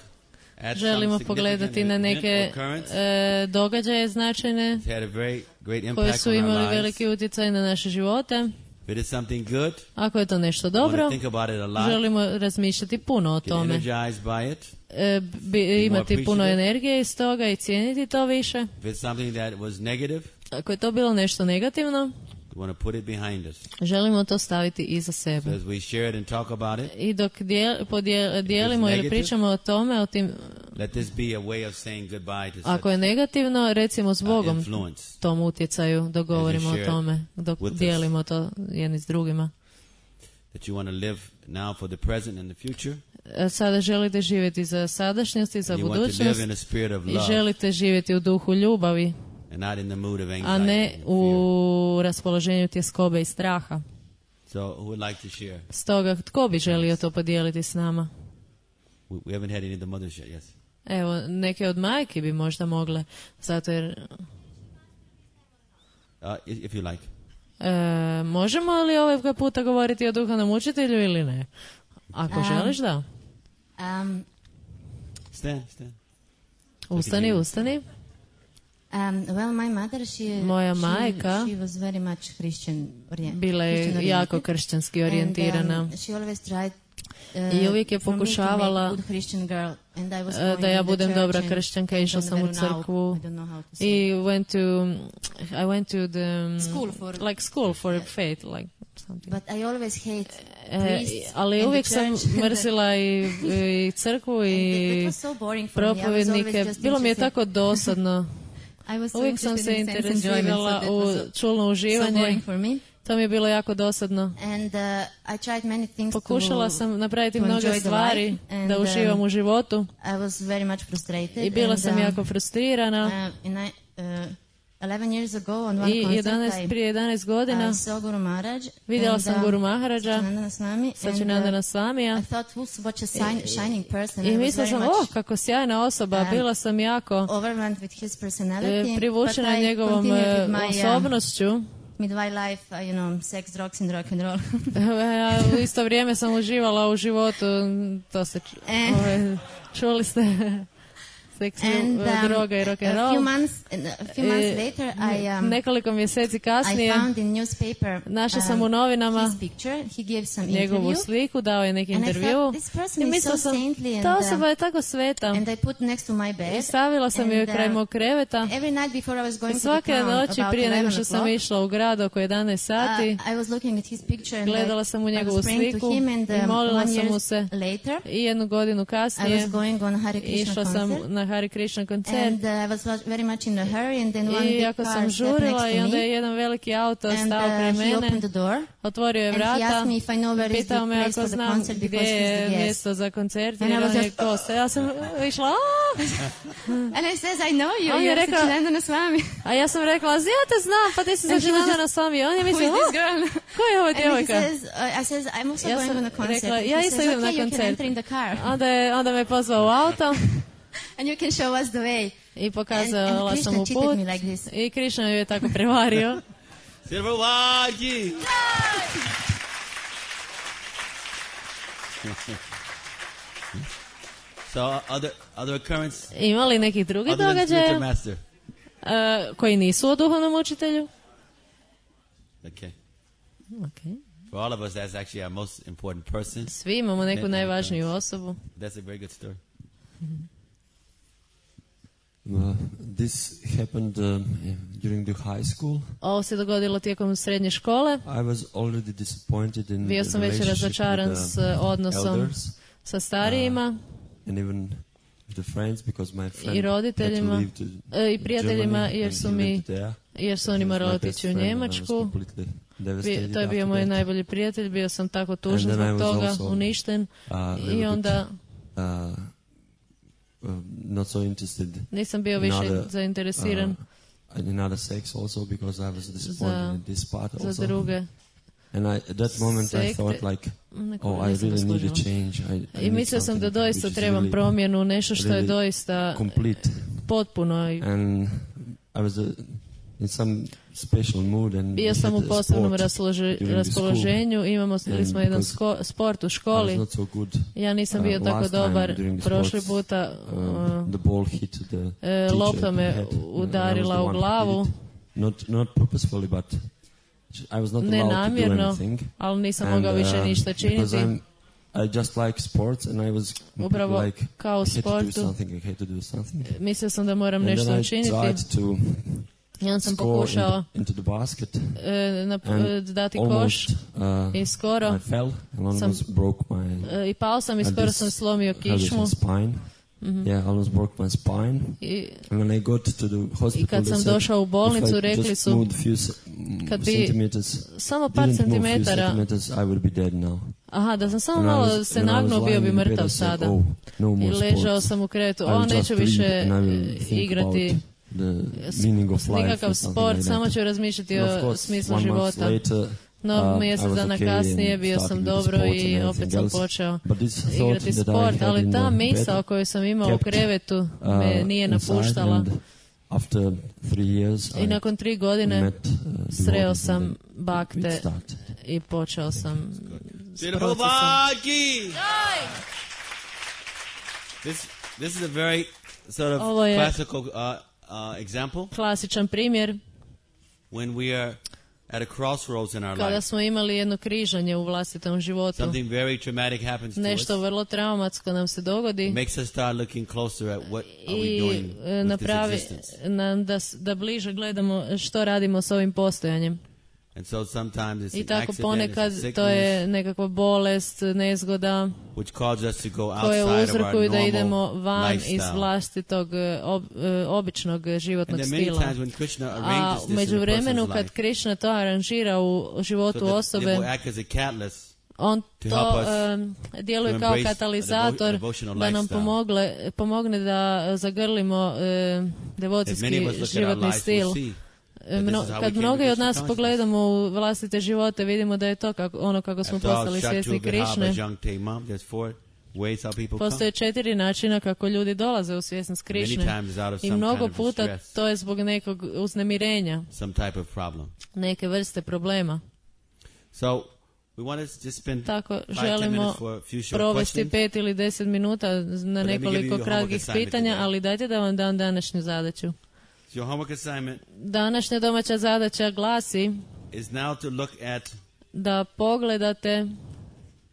at želimo some pogledati significant na event neke or occurrence e, događaje značajne that had a very great koji impact su on our imali lives. veliki utjecaj na naše živote. If it is something good, Ako je to nešto we want dobro, to think about it a lot, želimo razmišljati puno o get tome. energized by it. E, bi, imati puno energije iz toga i cijeniti to više. If it's something that was negative, Ako je to bilo nešto negativno, we want to put it behind us. želimo to staviti iza So sebe. as we share it and talk about it, I dok dijel, podijel, dijelimo ili negative, pričamo o tome, o tim, let this be a way of saying goodbye to ako je such negativno, recimo s uh, Bogom influence. tom utjecaju, dok govorimo o share tome, dok with us. dijelimo to jedni s drugima. That you want to live now for the present and the future. E, Sada želite živjeti za sadašnjost i za You want to budućnost live in a spirit of i love želite živjeti u duhu ljubavi, and not in the mood of a anxiety ne and fear. u raspoloženju tjeskobe i straha. So who would like to share? Stoga, tko bi želio to podijeliti s nama? We, we haven't had any of the mothers yet, yes. Evo, neke od majki bi možda mogle, zato jer... Uh, if, if you like. E, možemo li ovaj puta govoriti o duhovnom učitelju ili ne? Ako Um, želiš, da. Um, Stand, stand. Ustani, ustani. um, well, my mother, she, Moja she, majka she was very much Christian orient, Bila Christian je jako oriented. kršćanski orijentirana. And, um, she always tried uh, I uvijek je for me to make pokušavala good Christian girl, and I was e, going da ja in the budem church dobra and kršćanka, went išla on sam u veronauk. crkvu I don't know how to say. i went to I went to the School for- like school for faith, like something. But I always hate E, priests ali and uvijek the sam church. mrsila i, i crkvu And i that was so boring for me. I was always propovednike. just Bilo mi je interested- tako dosadno. I was so Uvijek sam se interested in sense enjoyment, interesirala so that u was so- čulno so uživanje. boring for me. To mi je bilo jako dosadno. And uh, I tried many things Pokušala to, sam napraviti to mnoge enjoy the stvari life, and, da uživam um, u životu I was very much frustrated. i bila and, sam um, jako frustrirana. Uh, in I, uh, eleven years ago on one I concert jedanaest, I, prije jedanaest godina I saw Guru Maharaj. vidjela and, sam uh, Guru Maharaja, Satchidananda Swami, and, Sačinandana uh, Swamija. I thought, who's such a sign, shining person. I I was mislila very sam, much oh, kako sjajna osoba, um, bila sam jako overwhelmed with his personality. e, privučena but I njegovom continued e, with my, uh, osobnošću. midlife life, uh, you know, sex, drugs and rock and roll. Ja u isto vrijeme sam uživala u životu, to se ču- E. ove, čuli ste, seks, And e, um, droga i rock and a roll. few months, a few months E, later, I um, Nekoliko mjeseci I kasnije found in newspaper našla sam u um, novinama his picture. He gave some njegovu interview, sliku, dao je neki and I intervju thought this person i is mislila so sam, saintly, and, ta uh, osoba je tako sveta. and I put next to my bed. I stavila sam and, joj kraj uh, mog kreveta. Every night before I was going I to the svake town, noći about prije nego eleven što sam o'clock, išla u grad oko jedanaest sati, uh, I was looking at his picture and gledala I, sam u I njegovu was praying sliku to him, and i um, molila one sam mu year se. later, I jednu godinu I kasnije was going on Hare Krishna išla sam concert. na Hare Krishna koncert And uh, I was wa- very much in a hurry, and then one i big jako car sam stepped žurila next i to onda je me, jedan veliki auto and stao kraj uh, he mene, opened the door, otvorio je and he vrata, asked me if I know where is the pitao me place ako for the znam concert gdje because he's je the guest. mjesto za koncert And I jer was on je just- gost. Ja sam išla, "A!" And I says, I know you, On je you're rekao- Satchidananda Swami. a ja sam rekla, ja te znam, pa ti si And he was Sačinandana Swami. On je Who mislio, is this "O, girl? ko je ova And he djevojka? says, uh, I says, I'm also Ja going sam on a concert. rekla, And ja he isto says, idem na okay, you can koncert. enter in the car, Onda, je, onda me pozvao u auto and you can show us the way. i And, pokazala and sam Krishna mu cheated put me like this. i Krishna ju je tako prevario. Sirvaji! So other other occurrence, Ima li nekih drugih other than spiritual događaja master. uh, koji nisu o duhovnom učitelju? Okay. Okay. For all of us, that's actually our most important person. Svi imamo neku najvažniju osobu. That's a very good story. Uh, this happened um, during the high school. Ovo se dogodilo tijekom srednje škole. I was already disappointed in Bio the sam već relationship razočaran with s the odnosom elders, sa starijima and even with the friends, because my friend i had to roditeljima leave to e, i prijateljima Germany jer and su he mi lived there. jer su oni He was morali my otići best u friend and I was Njemačku. completely devastated Bi- to je bio after moj that. najbolji prijatelj, bio sam tako tužan And then I zbog was toga, also, uništen uh, a little i bit, onda uh, uh, not so interested nisam bio in više other, zainteresiran uh, in other sex also, because I was disappointed za, in this part za also. druge. And I, at that moment I sekte. thought like, Neko oh, I nisam really need a zaslužila. change. I, I I need mislio sam da something doista which is trebam really, promjenu, nešto što je really doista complete. potpuno i And I was, uh, in some special mood and Bio we sam had u a posebnom sport raspolože, during the raspoloženju, imamo And smo jedan because sko, sport u school. I školi. was not so good. Ja nisam Uh, bio tako last time dobar during the prošli sports, puta. uh, the ball hit the e, teacher lopta in the me head. And I was udarila the u one who glavu. did it. Not not purposefully, but I was not Ne allowed to do namjerno, anything. ali nisam And, mogao više uh, ništa because činiti. I'm, I just like sports, and I was Upravo like, kao u I had to do sportu. something. I had to do something. Mislio sam da moram And nešto then I učiniti. tried to I onda sam score pokušao into, into the basket. e, na, And e, dati koš almost, uh, i skoro I fell and sam almost broke my e, i pao sam i uh, skoro this sam slomio pelvic kičmu. spine. Mhm. Yeah, almost broke my spine. I, And when I got to the hospital, I kad they sam said, došao u bolnicu, if I rekli just su, moved few ce- kad bi centimeters, samo par didn't move few centimetara, centimeters, I would be dead now. aha, da sam samo And I malo was- se when I was nagnuo, bio lying bi in bed, mrtav I said, sada. "Oh, no I more ležao sports. sam u krevetu, I o, will just neću read više and I will think igrati about the meaning of life nikakav or something sport, like samo that." ću razmišljati And of o course, smislu one month života. later, No, uh, mjesec I was dana okay kasnije and bio started sam with dobro sport i and opet everything sam else. počeo But this thought igrati that I sport, had ali in ta the misao bed, koju sam imao u kept, krevetu uh, me nije inside, napuštala. and after three years, I I nakon tri godine met, uh, sreo devotees sam and it bakte started. i počeo sam s Jehovah procesom. ki! This this is a very sort of Ovo je classical uh, uh, example klasičan primjer when we are at a crossroads in our kada life. smo imali jedno križanje u vlastitom životu. Something very traumatic happens to us. Nešto vrlo traumatsko nam se dogodi. It makes us start looking closer at what are we I doing e, with this napravi existence. nam da, s- da bliže gledamo što radimo s ovim postojanjem. And so sometimes it's I an tako accident, ponekad it's a to je sickness, nekakva bolest, nezgoda which causes us to go koje outside of our uzrokuju da idemo normal van iz lifestyle. vlastitog e, ob, e, običnog e, And životnog there are many stila. times when Krishna A arranges u this in a međuvremenu person's kad life, Krishna to aranžira u so životu that it osobe, will act as a catalyst on to to help us em, djeluje to kao embrace a katalizator devo- devotional da nam lifestyle. pomogle, pomogne da zagrlimo e, If devocijski many of us look at our životni lives, stil. we'll see E, that mno- this is how we kad came to mnogi od Krishna nas consciousness. pogledamo u vlastite živote, vidimo da je to kako, ono kako smo After all, postali svjesni Shatu, Vihava, Krišne. Jangte, Mam, there's four ways how people Postoje come. četiri načina kako ljudi dolaze u svjesnost Many Krišne. times out of I some mnogo kind of puta stress, to je zbog nekog uznemirenja, some type of problem. neke vrste problema. So we want to just spend Tako five, ten želimo minutes for a few short provesti questions. pet ili deset minuta na me give nekoliko you your kratkih homework assignment pitanja, today. ali dajte da vam dam današnju zadaću. So your homework assignment Današnja domaća zadaća glasi is now to look at da pogledate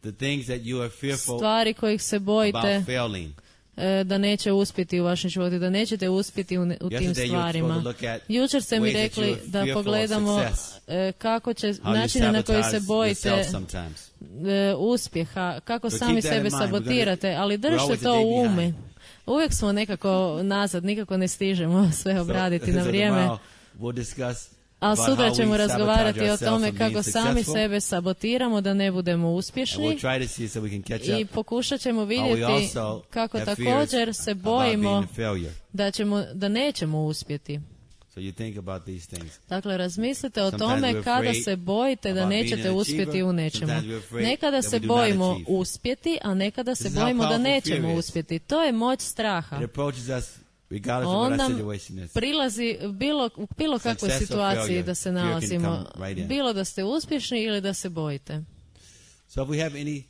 the things that you are fearful stvari kojih se bojite about failing. e, da neće uspjeti u vašem životu, da nećete uspjeti u, ne- u tim Yesterday you were stvarima. supposed to look at Jučer ste mi ways that rekli you are da fearful of pogledamo success. e, kako će, How you načine na koji se sabotage bojite yourself sometimes. e, uspjeha, kako So sami keep that in sebe mind. We're sabotirate, gonna- ali we're držite always a to day u ume. behind. Uvijek smo nekako nazad, nikako ne stižemo sve obraditi So- na so vrijeme. tomorrow we'll discuss A about sutra how ćemo we razgovarati sabotage o ourselves tome from kako being sami successful. sebe sabotiramo da ne budemo And we'll uspješni try to see so we can catch i up. pokušat ćemo How we vidjeti also kako have također fears se about bojimo being a failure. da, ćemo, da nećemo uspjeti. So you think about these things. Dakle, razmislite o Sometimes tome we're kada afraid se bojite da about being nećete an uspjeti achiever. u nečemu. Sometimes we're afraid Nekada that se we do not bojimo achieve. uspjeti, a nekada se This is how bojimo da powerful nećemo fear is. uspjeti. To je moć straha. It approaches us regardless of what Onda our situation is. prilazi bilo, u bilo kakvoj Success or situaciji failure, da se fear can nalazimo. come right in. Bilo da ste uspješni ili da se bojite. So if we have any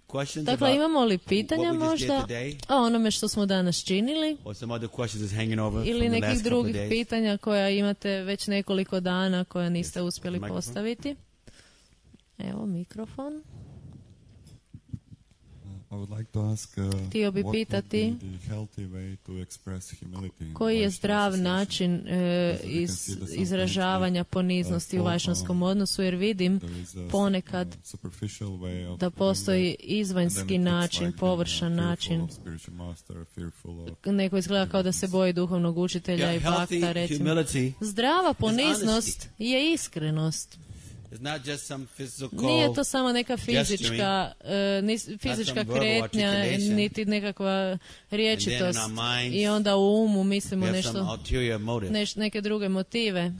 questions Dakle, about imamo li pitanja what we just did možda today, o onome što smo danas činili or some other questions that's hanging over ili from the nekih last couple of drugih days? pitanja koja imate već nekoliko dana koja niste uspjeli Microphone. postaviti. Evo mikrofon. I would like to ask, uh, Htio bi what would pitati be the healthy way to express humility in koji je Vaishnava zdrav association? način e, Because we can iz, see that sometimes izražavanja we, poniznosti uh, u fall, vajšnjskom um, odnosu, jer vidim there is a, ponekad uh, superficial way of da doing postoji that, and then izvanjski it looks način, like being, uh, površan fearful način. of spiritual master, fearful of Neko izgleda kao da se boji duhovnog učitelja Yeah, i healthy bakta, recimo. humility Zdrava is poniznost je iskrenost. It's not just some physical Nije to samo neka gesturing, fizička, e, nis- fizička some verbal kretnja, articulation. niti nekakva riječitost. And then in our minds, I onda u umu we mislimo have some nešto, ulterior motive. neš, neke druge motive.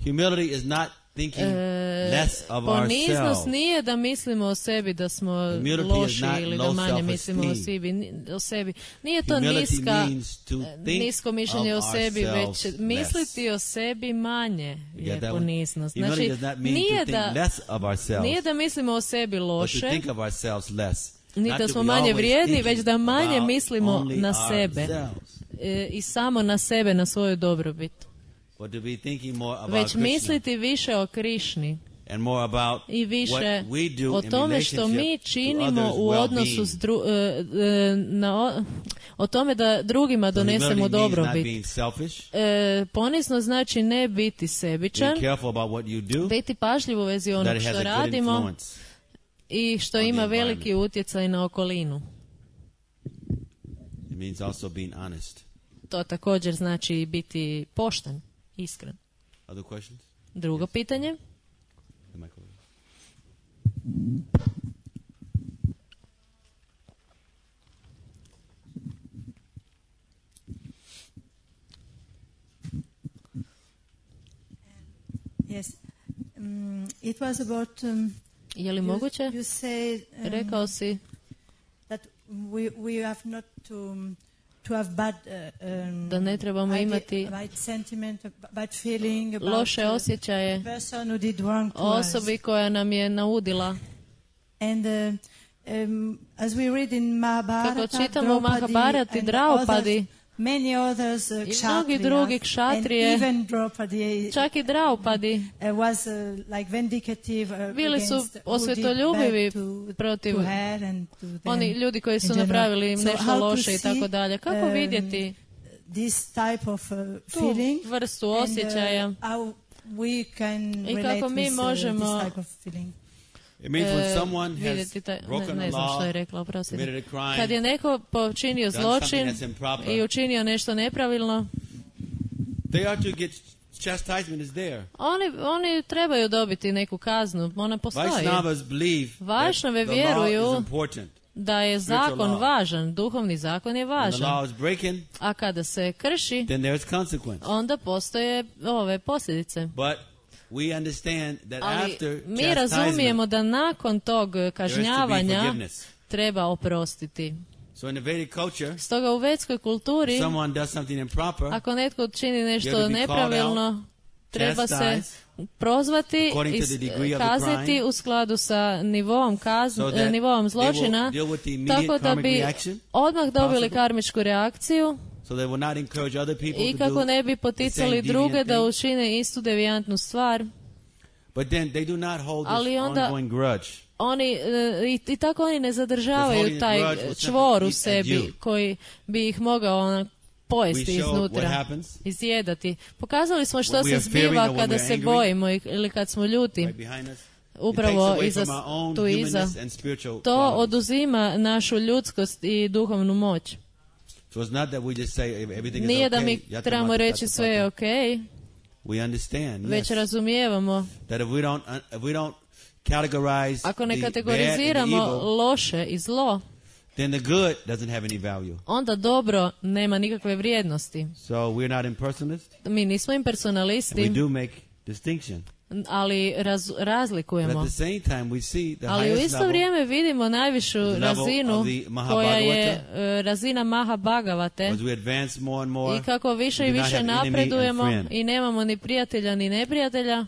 Humility is not thinking E, less of poniznost ourselves. nije da mislimo o sebi da smo Humility is loši not ili da low manje mislimo o self-esteem. sebi, ni- o sebi. Nije to Humility niska, means to think nisko mišljenje o of sebi, već ourselves misliti o sebi manje You je get that one? poniznost. Humility Znači, does not mean nije to think da, less of ourselves, nije da mislimo o sebi but to loše, think of ourselves less. ni Not da to smo be manje always vrijedni, thinking već da manje about mislimo only na sebe ourselves, e, i samo na sebe, na svoju dobrobit. but to be thinking more about Već Krishna misliti više o Krišni and more about i više what we do o in tome što mi relationship to činimo others' u odnosu s well-being. dru, e, e, na, o, o tome da drugima So donesemo humility means not dobrobit. being selfish, E, ponizno znači ne biti sebičan, being careful about what you do, biti pažljiv u vezi that onog it has što a good radimo influence. i što on the ima environment. veliki utjecaj na okolinu. It means also being honest. To također znači biti pošten, iskren. Other questions? Drugo pitanje. The microphone. Yes. Um, it was about... Um, Je li you, moguće? you say, um, Rekao si that we, we have not to, um, to have bad, uh, um, da ne trebamo idea- imati bad sentiment, bad feeling about loše uh, osjećaje the person who did wrong to o us. osobi koja nam je naudila. And uh, um, as we read in Mahabharata, Kako čitamo u Draupadi Mahabharati, and Draupadi others, many others, uh, i mnogi kshatriyas, drugi and kšatrije, even Draupadi čak i Draupadi, uh, was uh, like vindicative uh, bili su against who did osvetoljubivi bad to, protiv to her and to them oni ljudi koji in su general. napravili So nešto how to loše i see, tako dalje. Kako um, vidjeti this type of uh, tu feeling vrstu and, osjećaja uh, how we can i relate kako mi with uh, možemo this type of feeling. It means when e, someone has vidjeti taj, ne, broken ne a znam što law, je rekla, oprostite. committed a crime, Kad je neko počinio done something zločin that's improper, i učinio nešto nepravilno, they are to get chastisement is there. oni, oni trebaju dobiti neku kaznu, ona postoji. Vaishnavas believe that Vašnave the law vjeruju is important. da je Spiritual zakon law. važan, duhovni zakon je When the važan. law is breaking, A kada se krši, then there's consequence. onda postoje ove posljedice. But we understand that Ali after mi razumijemo chastisement, da nakon tog there is to be kažnjavanja forgiveness. treba oprostiti. So in the Vedic culture, Stoga u vedskoj kulturi, if someone does something improper, ako netko čini you nešto have to be nepravilno, called treba se chastised prozvati according i to s- the degree of the kazniti crime, u skladu sa nivom, kazn, so e, that nivom they zločina, will deal with the immediate tako da karmic bi reaction odmah dobili possible. karmičku reakciju so they will not encourage other people i to kako do ne bi the poticali same druge deviant da thing. učine istu devijantnu stvar. But then they do not hold this Ali onda- ongoing grudge. Oni, e, i, i tako oni ne zadržavaju holding taj grudge will čvor u simply eat at sebi you. koji bi ih mogao ono, pojesti We show what iznutra, happens. izjedati. Pokazali smo što When we se are fearing zbiva or when kada we are se angry, bojimo i- ili kad smo ljuti. Right behind us. It Upravo takes away iza, from our own tu iza. humanness and spiritual To qualities. oduzima našu ljudskost i duhovnu moć. So it's not that we just say everything Nije is da okay. mi yata trebamo mata reći tata sve je pata. ok, We understand, već yes, razumijevamo. that if we don't, uh, if we don't categorize Ako ne the bad and the kategoriziramo evil, loše i zlo, then the good doesn't have any value. onda dobro nema nikakve vrijednosti. So we're not impersonalists, Mi nismo and we impersonalisti, do make distinction. ali raz, But razlikujemo. at the same time, we see the Ali u highest isto level vrijeme vidimo najvišu the level razinu of the koja je Mahabhagavata. e, razina Mahabhagavate as we advance more and more. i kako više we i do not više have enemy and napredujemo friend. i nemamo ni prijatelja ni neprijatelja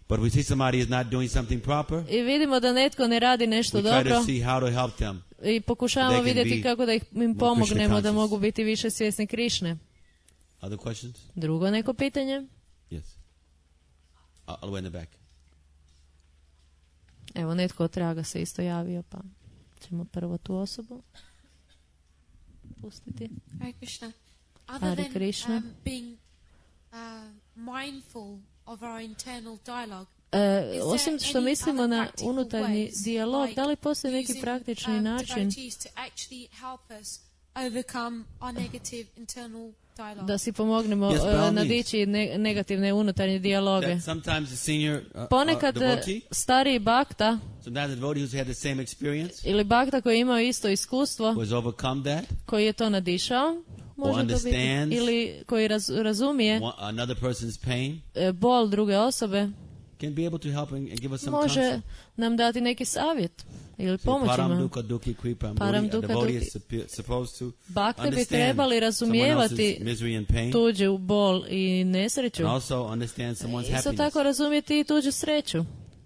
But we see somebody is not doing something proper. i vidimo da netko ne radi nešto We try dobro to see how to help them. i pokušavamo they can vidjeti be kako da ih, im more pomognemo Krishna da conscious. mogu biti više svjesni Krišne. Other questions? Drugo neko pitanje? Yes. Uh, all the way in the back. Evo, netko od traga se isto javio, pa ćemo prvo tu osobu pustiti. Hare Krishna. Other Hare than Krishna. um, being uh, mindful of our internal dialogue, E, is osim there što any mislimo other na practical unutarnji ways, dijalog, like da li postoji neki using, praktični um, način devotees to actually help us overcome our negative internal dialogue? da si pomognemo Yes, by all e, means. nadići ne- negativne unutarnje dijaloge? That sometimes the senior uh, Ponekad uh, e, devotee, stariji bakta sometimes the devotee who's had the same experience, ili bakta koji je imao isto iskustvo, who has overcome that, koji je to nadišao, može to biti, understands ili koji raz, razumije one, another person's pain, e, bol druge osobe, can be able to help and, and give us some može counsel. nam dati neki savjet ili So, pomoć param nam. dukkha dukkhi kripam Param buddhi, a dukkha devotee dukkhi. is suppo- supposed to Bakte bi understand trebali someone razumijevati else's misery and pain, tuđu bol i nesreću. and also understand someone's Isto happiness. tako razumjeti i tuđu sreću.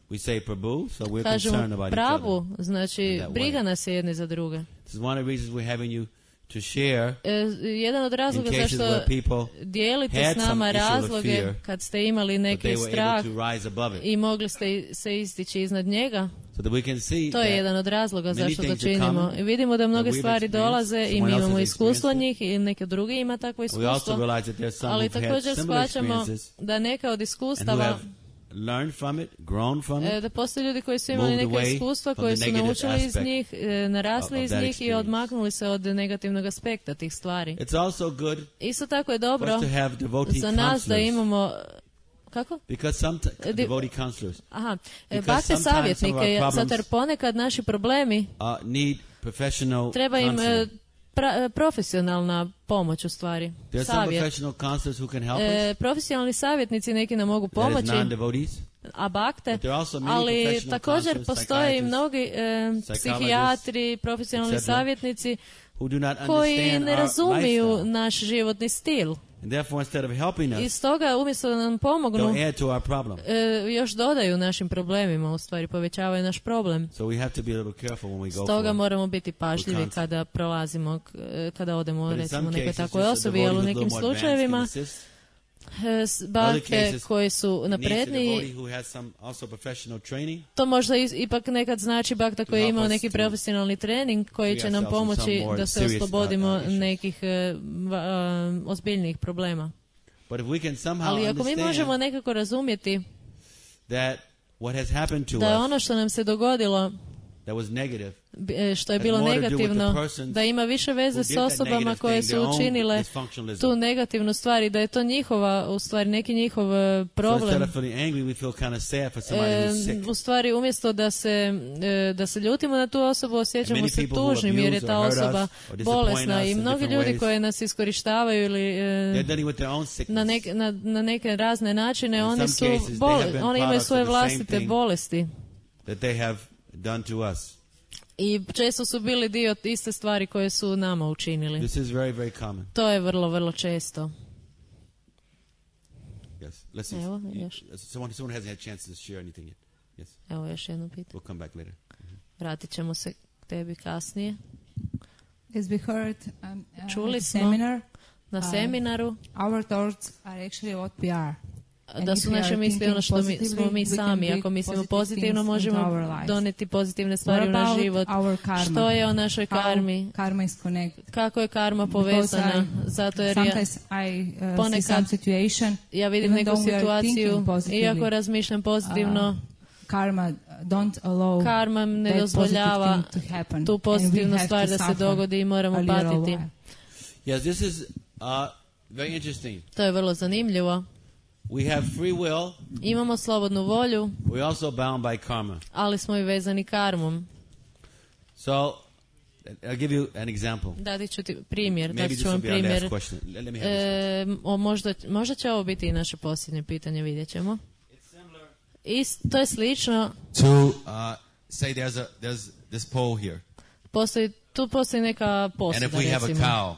We say Prabhu, so we're concerned Kažemo about each pravu, other. znači in that briga way. nas je jedni za druge. This is one of the reasons we're having you to share E, jedan od in razloga cases zašto where people dijelite had s some nama issue of razloge fear, kad ste imali but neki they were strah able to rise above it. i mogli ste se istići iznad njega. So that we can see To je that jedan od razloga many zašto to things that činimo. come I vidimo da mnoge that we've stvari experienced, dolaze i someone mi else imamo has iskustvo experienced njih i neki drugi ima takvo We also iskustvo. realize that there's some Ali who've had također similar shvaćamo experiences da neka od and who iskustava have learned from it, grown from e, it, da postoje ljudi koji su imali moved neka away iskustva, from koji the su negative naučili iz aspect njih, e, narasli of iz that njih i experience. odmaknuli se od negativnog aspekta tih stvari. It's also good Isto tako je for dobro us to have devotee za nas da counselors, imamo kako? because some t- Di- devotee counselors Aha, e, Because bakte sometimes some of savjetnike, our zato jer problems- ponekad naši problemi uh, need professional treba im e, counseling. pra- e, profesionalna pomoć u stvari. There's some Savjet. professional counselors who can help E, us. profesionalni savjetnici neki nam mogu That is pomoći, non-devotees. a bakte, But there are also many ali professional također counselors, postoje i psychiatrists, mnogi e, psychologists, psihijatri, profesionalni et cetera, savjetnici who do not koji understand ne our razumiju lifestyle. naš životni stil. And therefore, instead of helping I us, stoga umjesto da nam pomognu, they'll add to our problem. e, još dodaju našim problemima, u stvari povećavaju naš problem. So we have to be a little careful when we go Stoga for moramo biti for pažljivi counsel. kada prolazimo, k- e, kada odemo But in recimo some nekoj cases, takvoj just a osobi, devotee ali u who's a nekim little more advanced slučajevima can assist. e, s- In other bakte cases, koje su needs a napredniji, devotee who has some also professional training. to možda is- ipak nekad znači bakta koji je help imao us neki to profesionalni trening koji free će nam ourselves from pomoći some more da se serious, uh, oslobodimo uh, issues. nekih e, va- a, ozbiljnijih problema. But if we can somehow Ali ako mi understand možemo nekako razumjeti that what has happened to da je us ono što nam se dogodilo, that was negative, b- e, što je has bilo more to do with the negativno, persons da ima više veze who s did that osobama negative koje thing, su their own učinile dysfunctionalism. tu negativnu stvar i da je to njihova, u stvari neki njihov e, So instead problem. of feeling angry, we feel kind of sad for somebody E, who's sick. u stvari umjesto da se e, da se ljutimo na tu osobu, osjećamo many se people who tužnim jer je abuse ta or hurt osoba us or disappoint bolesna us i in mnogi different ljudi ways. koji nas iskorištavaju ili e, They're dealing with their own sickness. na, nek, na, na neke razne načine, In oni some su cases, they bole, have been oni imaju products svoje of the same vlastite thing. bolesti that they have done to us. i često su bili dio iste stvari koje su nama učinili. This is very, very common. To je vrlo, vrlo često. Yes. Let's see. Evo, You- još. Someone, someone hasn't had a chance to share anything yet. Yes. Evo još jedno pitanje. We'll come back later. Vratit ćemo se k tebi kasnije. As we heard um, uh, Čuli at the smo seminar, na uh, seminaru our thoughts are actually what we are. And da if su we naše are misli ono što mi, thinking smo mi positively, we can sami. bring Ako mislimo positive pozitivno, things into možemo our lives. doneti pozitivne stvari What u naš about život. our karma? Što je o našoj How karmi? karma is connected. Kako je karma Because povezana? I- Zato jer ja, sometimes I uh, see ponekad some situation, ja vidim even neku though we are situaciju, thinking positively, iako razmišljam pozitivno, uh, karma don't allow karma ne that dozvoljava positive thing to happen. tu And we pozitivnu have stvar to da se suffer dogodi i moramo a little patiti. while. Yes, this is uh, very interesting. To je vrlo zanimljivo. We have free will. Imamo slobodnu volju, We're also bound by karma. ali smo i vezani karmom. So, I'll give you an example. Dati ću ti primjer, Maybe dati this ću will vam be our last primjer. question. Let- let me have this E, o, možda, možda će ovo biti i naše posljednje pitanje, vidjet ćemo. Ist, to je slično, To uh, say there's a there's this pole here, postoji, tu postoji neka and posuda, if we have a recimo. cow,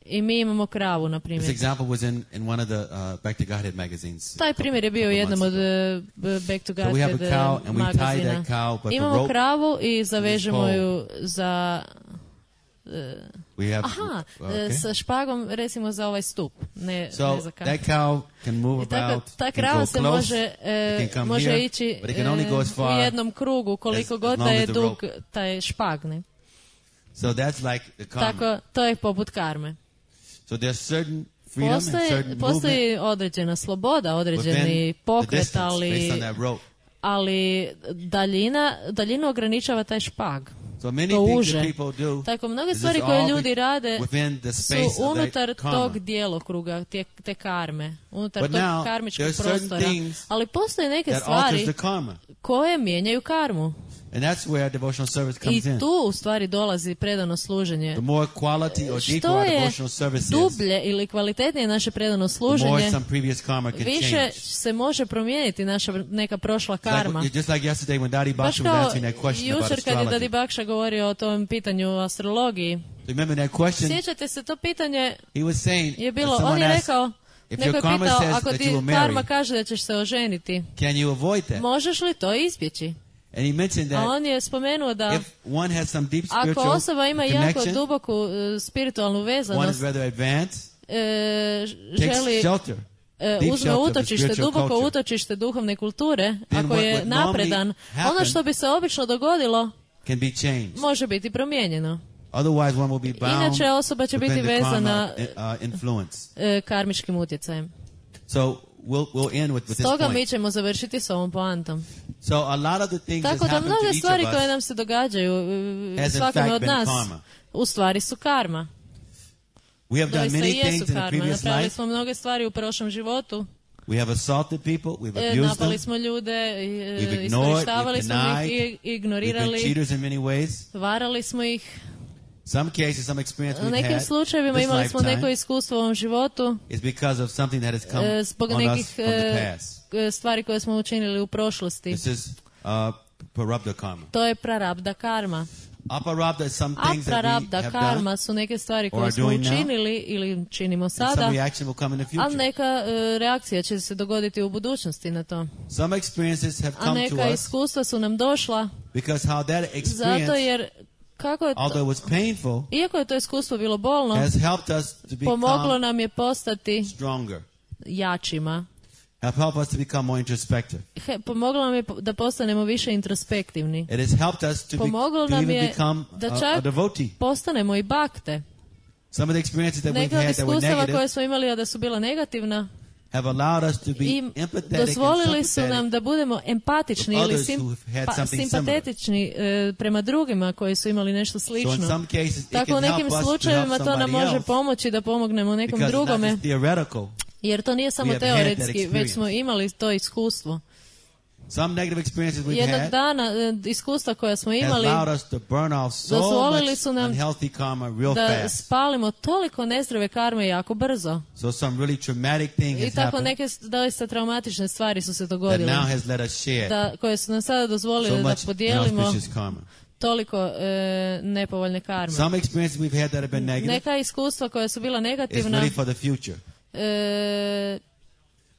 I mi imamo kravu, na this primjer. example was in, in one of the uh, Back to Godhead magazines. Taj primjer je bio u couple jednom months od ago. uh, Back to So we have a Godhead cow uh, and we tie magazina. that cow, but the Imamo rope kravu i zavežemo pole. ju za... uh, We have aha, okay. uh, sa špagom recimo za ovaj stup, ne, ne So za kavu. that cow can move I tako, about, ta can krava go se close, može, it e, can come može here, ići but it can only e, go as u far jednom krugu koliko as- god as da long je as the dug rope. taj špag. Ne? So that's like the karma. Tako, to je poput karme. So there's certain freedom and Postoji, certain postoji movement određena sloboda, within određeni the pokret, distance ali, based on that rope. ali daljina, daljinu ograničava taj špag. So many To things uže. that people do Tako, mnoge is stvari just koje all ljudi rade within the su space of that unutar karma. tog djelokruga, te, te karme, unutar But tog now, karmičkog there are certain prostora. things Ali postoje neke that stvari alters the karma. koje mijenjaju karmu. And that's where devotional service I comes in. tu u stvari dolazi predano služenje. The more quality or deeper Što our je devotional service is, dublje ili kvalitetnije naše predano the more služenje, some previous karma can više change. se može promijeniti naša neka prošla karma. Like, just like yesterday when Daddy Baš Baksha was kao answering that question about jučer kad je Dadi astrology. Bakša govorio o tom pitanju o astrologiji. Remember that question? Sjećate se, to pitanje He was saying, je bilo, someone on je asked, rekao, if neko your je karma pitao, says ako that ti you will karma marry, kaže da ćeš se oženiti, can you avoid that? možeš li to izbjeći? And he mentioned A that on je spomenuo da if one has some deep ako spiritual osoba ima jako connection, duboku uh, spiritualnu one is vezanost, rather advanced, e, takes želi shelter, e, deep uzme shelter of the utočište, spiritual duboko culture. utočište duhovne kulture, Then ako what je would normally napredan, happen ono što bi se obično dogodilo can be changed. može biti promijenjeno. Otherwise, one will be bound Inače osoba će biti within the vezana karma, uh, influence. e, karmičkim utjecajem. So we'll we'll end with, with this Stoga mi point. ćemo završiti s ovom poantom. So a lot of the things that Tako da happen to mnoge each stvari of koje us nam se događaju e, has in svakome fact od been nas karma. u stvari su karma. We have done Doista many i jesu things in the karma. previous Napravili life. smo mnoge stvari u prošlom životu. We have assaulted people. We've E, abused napali them. smo ljude, e, We've ignored, iskorištavali we've smo ih, denied. i- We've been ignorirali, cheaters in many ways. varali smo ih. Some cases, some experience U we've nekim had slučajevima this imali smo lifetime neko iskustvo u ovom životu is because of something that has come e, zbog on nekih us from the e, past. e, stvari koje smo učinili u prošlosti. This is uh, prarabdha karma. To je prarabdha karma. Aprarabdha is some A things that we prarabdha have karma done, su neke stvari or koje are smo doing now, učinili ili činimo and sada, some reaction will come in the ali future. neka e, reakcija će se dogoditi u budućnosti na to. Some experiences have A come to neka us iskustva su nam došla because how that zato experience, jer kako je although to, it was painful, iako je to iskustvo bilo bolno, has helped us to pomoglo become nam je postati stronger, jačima. have helped us to become more introspective. He, pomoglo nam je po- da postanemo više introspektivni. It has helped us to, be, Pomoglo to nam even je become da a, a čak devotee. postanemo i bakte. Some of the experiences that we've Neke od had that were iskustava negative koje smo imali, a da su bila negativna, have allowed us to be i empathetic and dozvolili su nam sympathetic da budemo empatični with ili others sim, who have had pa, something simpatetični e, prema drugima koji su imali nešto So in slično. some cases, it Tako u can nekim help us to help slučajevima to nam somebody može else pomoći da pomognemo nekom because it's not drugome, just theoretical. jer to nije samo We have had that teoretski, već experience. smo imali to iskustvo. Some negative experiences we've Jednog had dana e, iskustva koja smo has imali allowed us to burn off so dozvolili much su nam unhealthy karma real da fast. spalimo toliko nezdrave karme jako brzo. So some really traumatic thing I has tako happened neke s- doista traumatične stvari su se that dogodile, now has let us share da, koje su nam sada dozvolile so da much podijelimo inauspicious karma. toliko e, nepovoljne karme. Some experiences we've had that have been negative Neka iskustva koja su bila is negativna really for the future. e,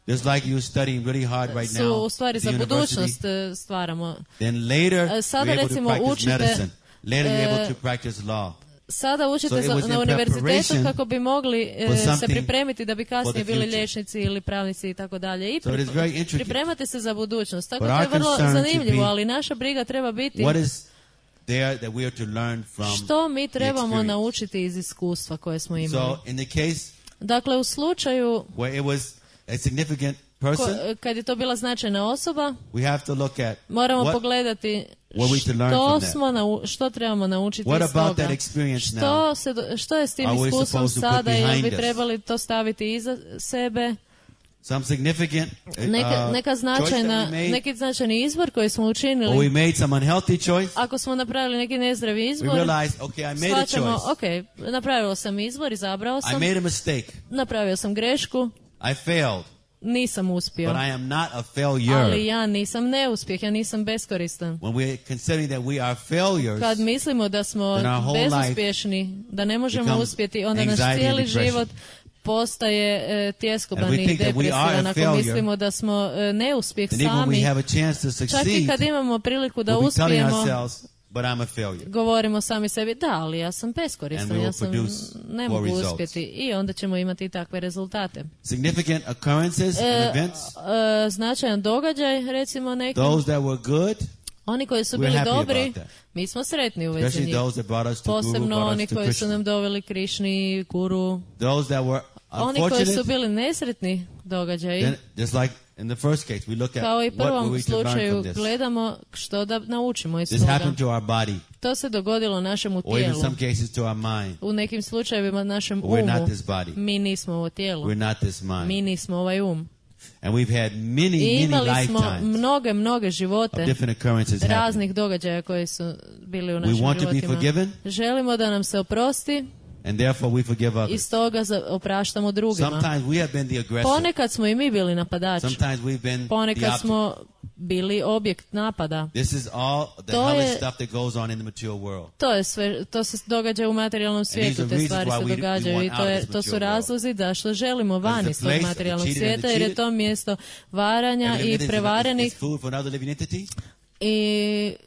Just like you're studying really hard right su now u stvari at za the university, budućnost e, stvaramo. then later E, sada you're able to recimo practice učite, medicine. Later you're able e, to practice law. Sada učite So it za- was na in univerzitetu preparation kako bi mogli e, for se something pripremiti da bi for kasnije the bili future. liječnici ili pravnici i tako dalje. I So it is pri- very intricate. pripremati se za budućnost. Tako But to je our vrlo concern should zanimljivo, be ali naša briga treba biti What is there that we are to learn from što mi the trebamo experience? naučiti iz iskustva koje smo imali. So in the case Dakle, u slučaju where it was a significant ko- person, kad je to bila značajna osoba, we have to look at moramo what, pogledati what we to learn što, from that. smo nau- što trebamo naučiti What iz about toga. that experience Što, now? se, do- što je s tim Are we iskustvom supposed to put sada, jel behind bi us? trebali to staviti iza sebe? Some significant uh, Neka, neka choice značajna, that we made, neki značajni izbor koji smo or we učinili, made some unhealthy choice. ako smo napravili neki nezdravi We izbor, realized, okay, I made a shvaćamo, choice. ok, napravio sam izbor, izabrao I sam, made a mistake. napravio sam grešku, I failed, nisam uspio. but I am not a failure. Ali ja nisam neuspjeh, ja nisam beskoristan. When we're considering that we are failures, Kad mislimo da smo then our whole bezuspješni, da ne možemo becomes uspjeti, onda naš anxiety and cijeli depression. život postaje e, tjeskoban And we i think that we are depresivan. a Ako failure, mislimo da smo e, neuspjeh and even when we sami, have a chance to čak i succeed, kad imamo priliku da we'll be telling uspijemo, ourselves, but I'm a failure. govorimo sami sebi, da, ali ja sam And beskoristan, we will ja sam, produce ne poor mogu results. uspjeti. I onda ćemo imati takve rezultate. Significant occurrences E, and events, e, značajan događaj, recimo neki, those that were good, oni koji su we're bili happy dobri, about that. mi smo sretni u vezi Especially njih. those that brought us to Guru, Posebno brought oni us to koji su Krishna. nam doveli Krišni, Guru. Those that were Oni koji su unfortunate, bili nesretni događaji, then just like in the first case, we look at kao i what were prvom we to learn slučaju, from this. gledamo što da naučimo iz This toga. happened to our body, To se dogodilo našemu or even tijelu. some cases to our mind. U nekim slučajevima našem We're not umu. this body. Mi nismo ovo tijelo. We're not this mind. Mi nismo ovaj um. And we've had many, I many imali smo lifetimes mnoge, mnoge živote of different occurrences happening. raznih događaja koji su bili u We našim want to be životima. forgiven, Želimo da nam se oprosti and therefore we forgive i others. stoga za- opraštamo drugima. Sometimes we have been the aggressor. Ponekad smo i mi bili napadači. Sometimes we've been the Ponekad object. smo bili objekt napada. This is all the To hellish je- stuff that goes on in the mature world. To je sve, to se događa u materijalnom these svijetu, are te reasons stvari why se we- we događaju want i out to, of je, this to su mature razlozi da što želimo van Because iz the tog place of materijalnog cheated and svijeta, jer je cheated. to mjesto varanja Every i living entity is- prevarenih is food for another living entity. i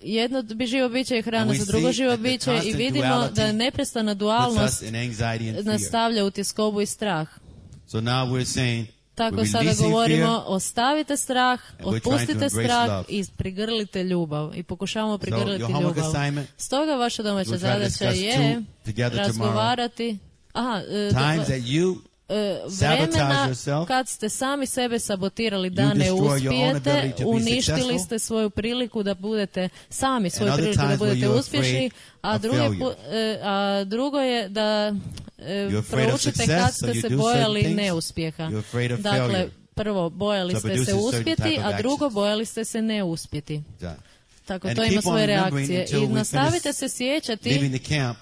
jedno bi živo biće je hrana And we za drugo see živo that the biće i constant vidimo duality da neprestana Puts dualnost us in anxiety and fear. nastavlja u tjeskobu i strah. So now we're saying, Tako we're sada releasing govorimo, fear, ostavite strah, and we're trying to otpustite embrace strah love. i prigrlite ljubav. I pokušavamo prigrliti your homework ljubav. assignment, Stoga vaša domaća we'll try to zadaća discuss je two together tomorrow. razgovarati. Aha, e, times do- that you e, sabotage vremena yourself, kad ste sami sebe sabotirali da You ne destroy your own uspijete, ability to be uništili successful. ste svoju priliku da budete sami svoju other priliku da times where budete you're uspješni, afraid a of drugi failure. pu- e, a drugo je da e, You're afraid of proučite success, kad so ste you se do bojali certain things. neuspjeha. You're afraid of Dakle, failure. prvo bojali So ste produces se certain uspjeti, type of a drugo actions. bojali ste se ne uspjeti. Yeah. Tako And to keep ima on svoje remembering reakcije. until I we nastavite finish se sjećati leaving the camp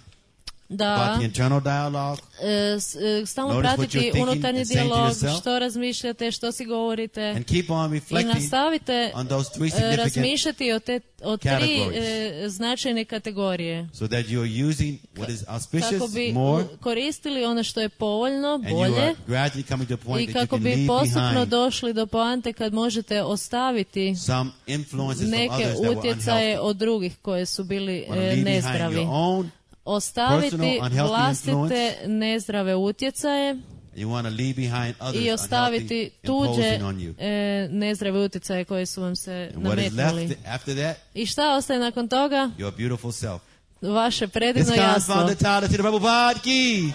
da about the internal dialogue. e, s- e, stalno Notice what pratiti you're thinking unutarnji and saying to dijalog, yourself. što razmišljate, što si govorite. And keep on I reflecting nastavite on those three e, significant razmišljati o, te, o tri categories. e, značajne kategorije. so that you're using what is Kako auspicious bi more, koristili ono što je povoljno, and you bolje, are gradually coming to a point i that you kako can bi leave postupno behind došli do poante kad možete ostaviti some influences from neke others that were utjecaje unhealthy. od drugih koje su bili Wanna e, leave behind nezdravi. your own Ostaviti personal unhealthy vlastite influence. nezdrave utjecaje You want to leave behind others i ostaviti unhealthy tuđe imposing on you. e, nezdrave utjecaje koje su vam se And what is nametnuli. left after that? I šta ostaje nakon toga? Your beautiful self. Vaše This predivno comes jasno. from the Tyler to the Rebel Vodki.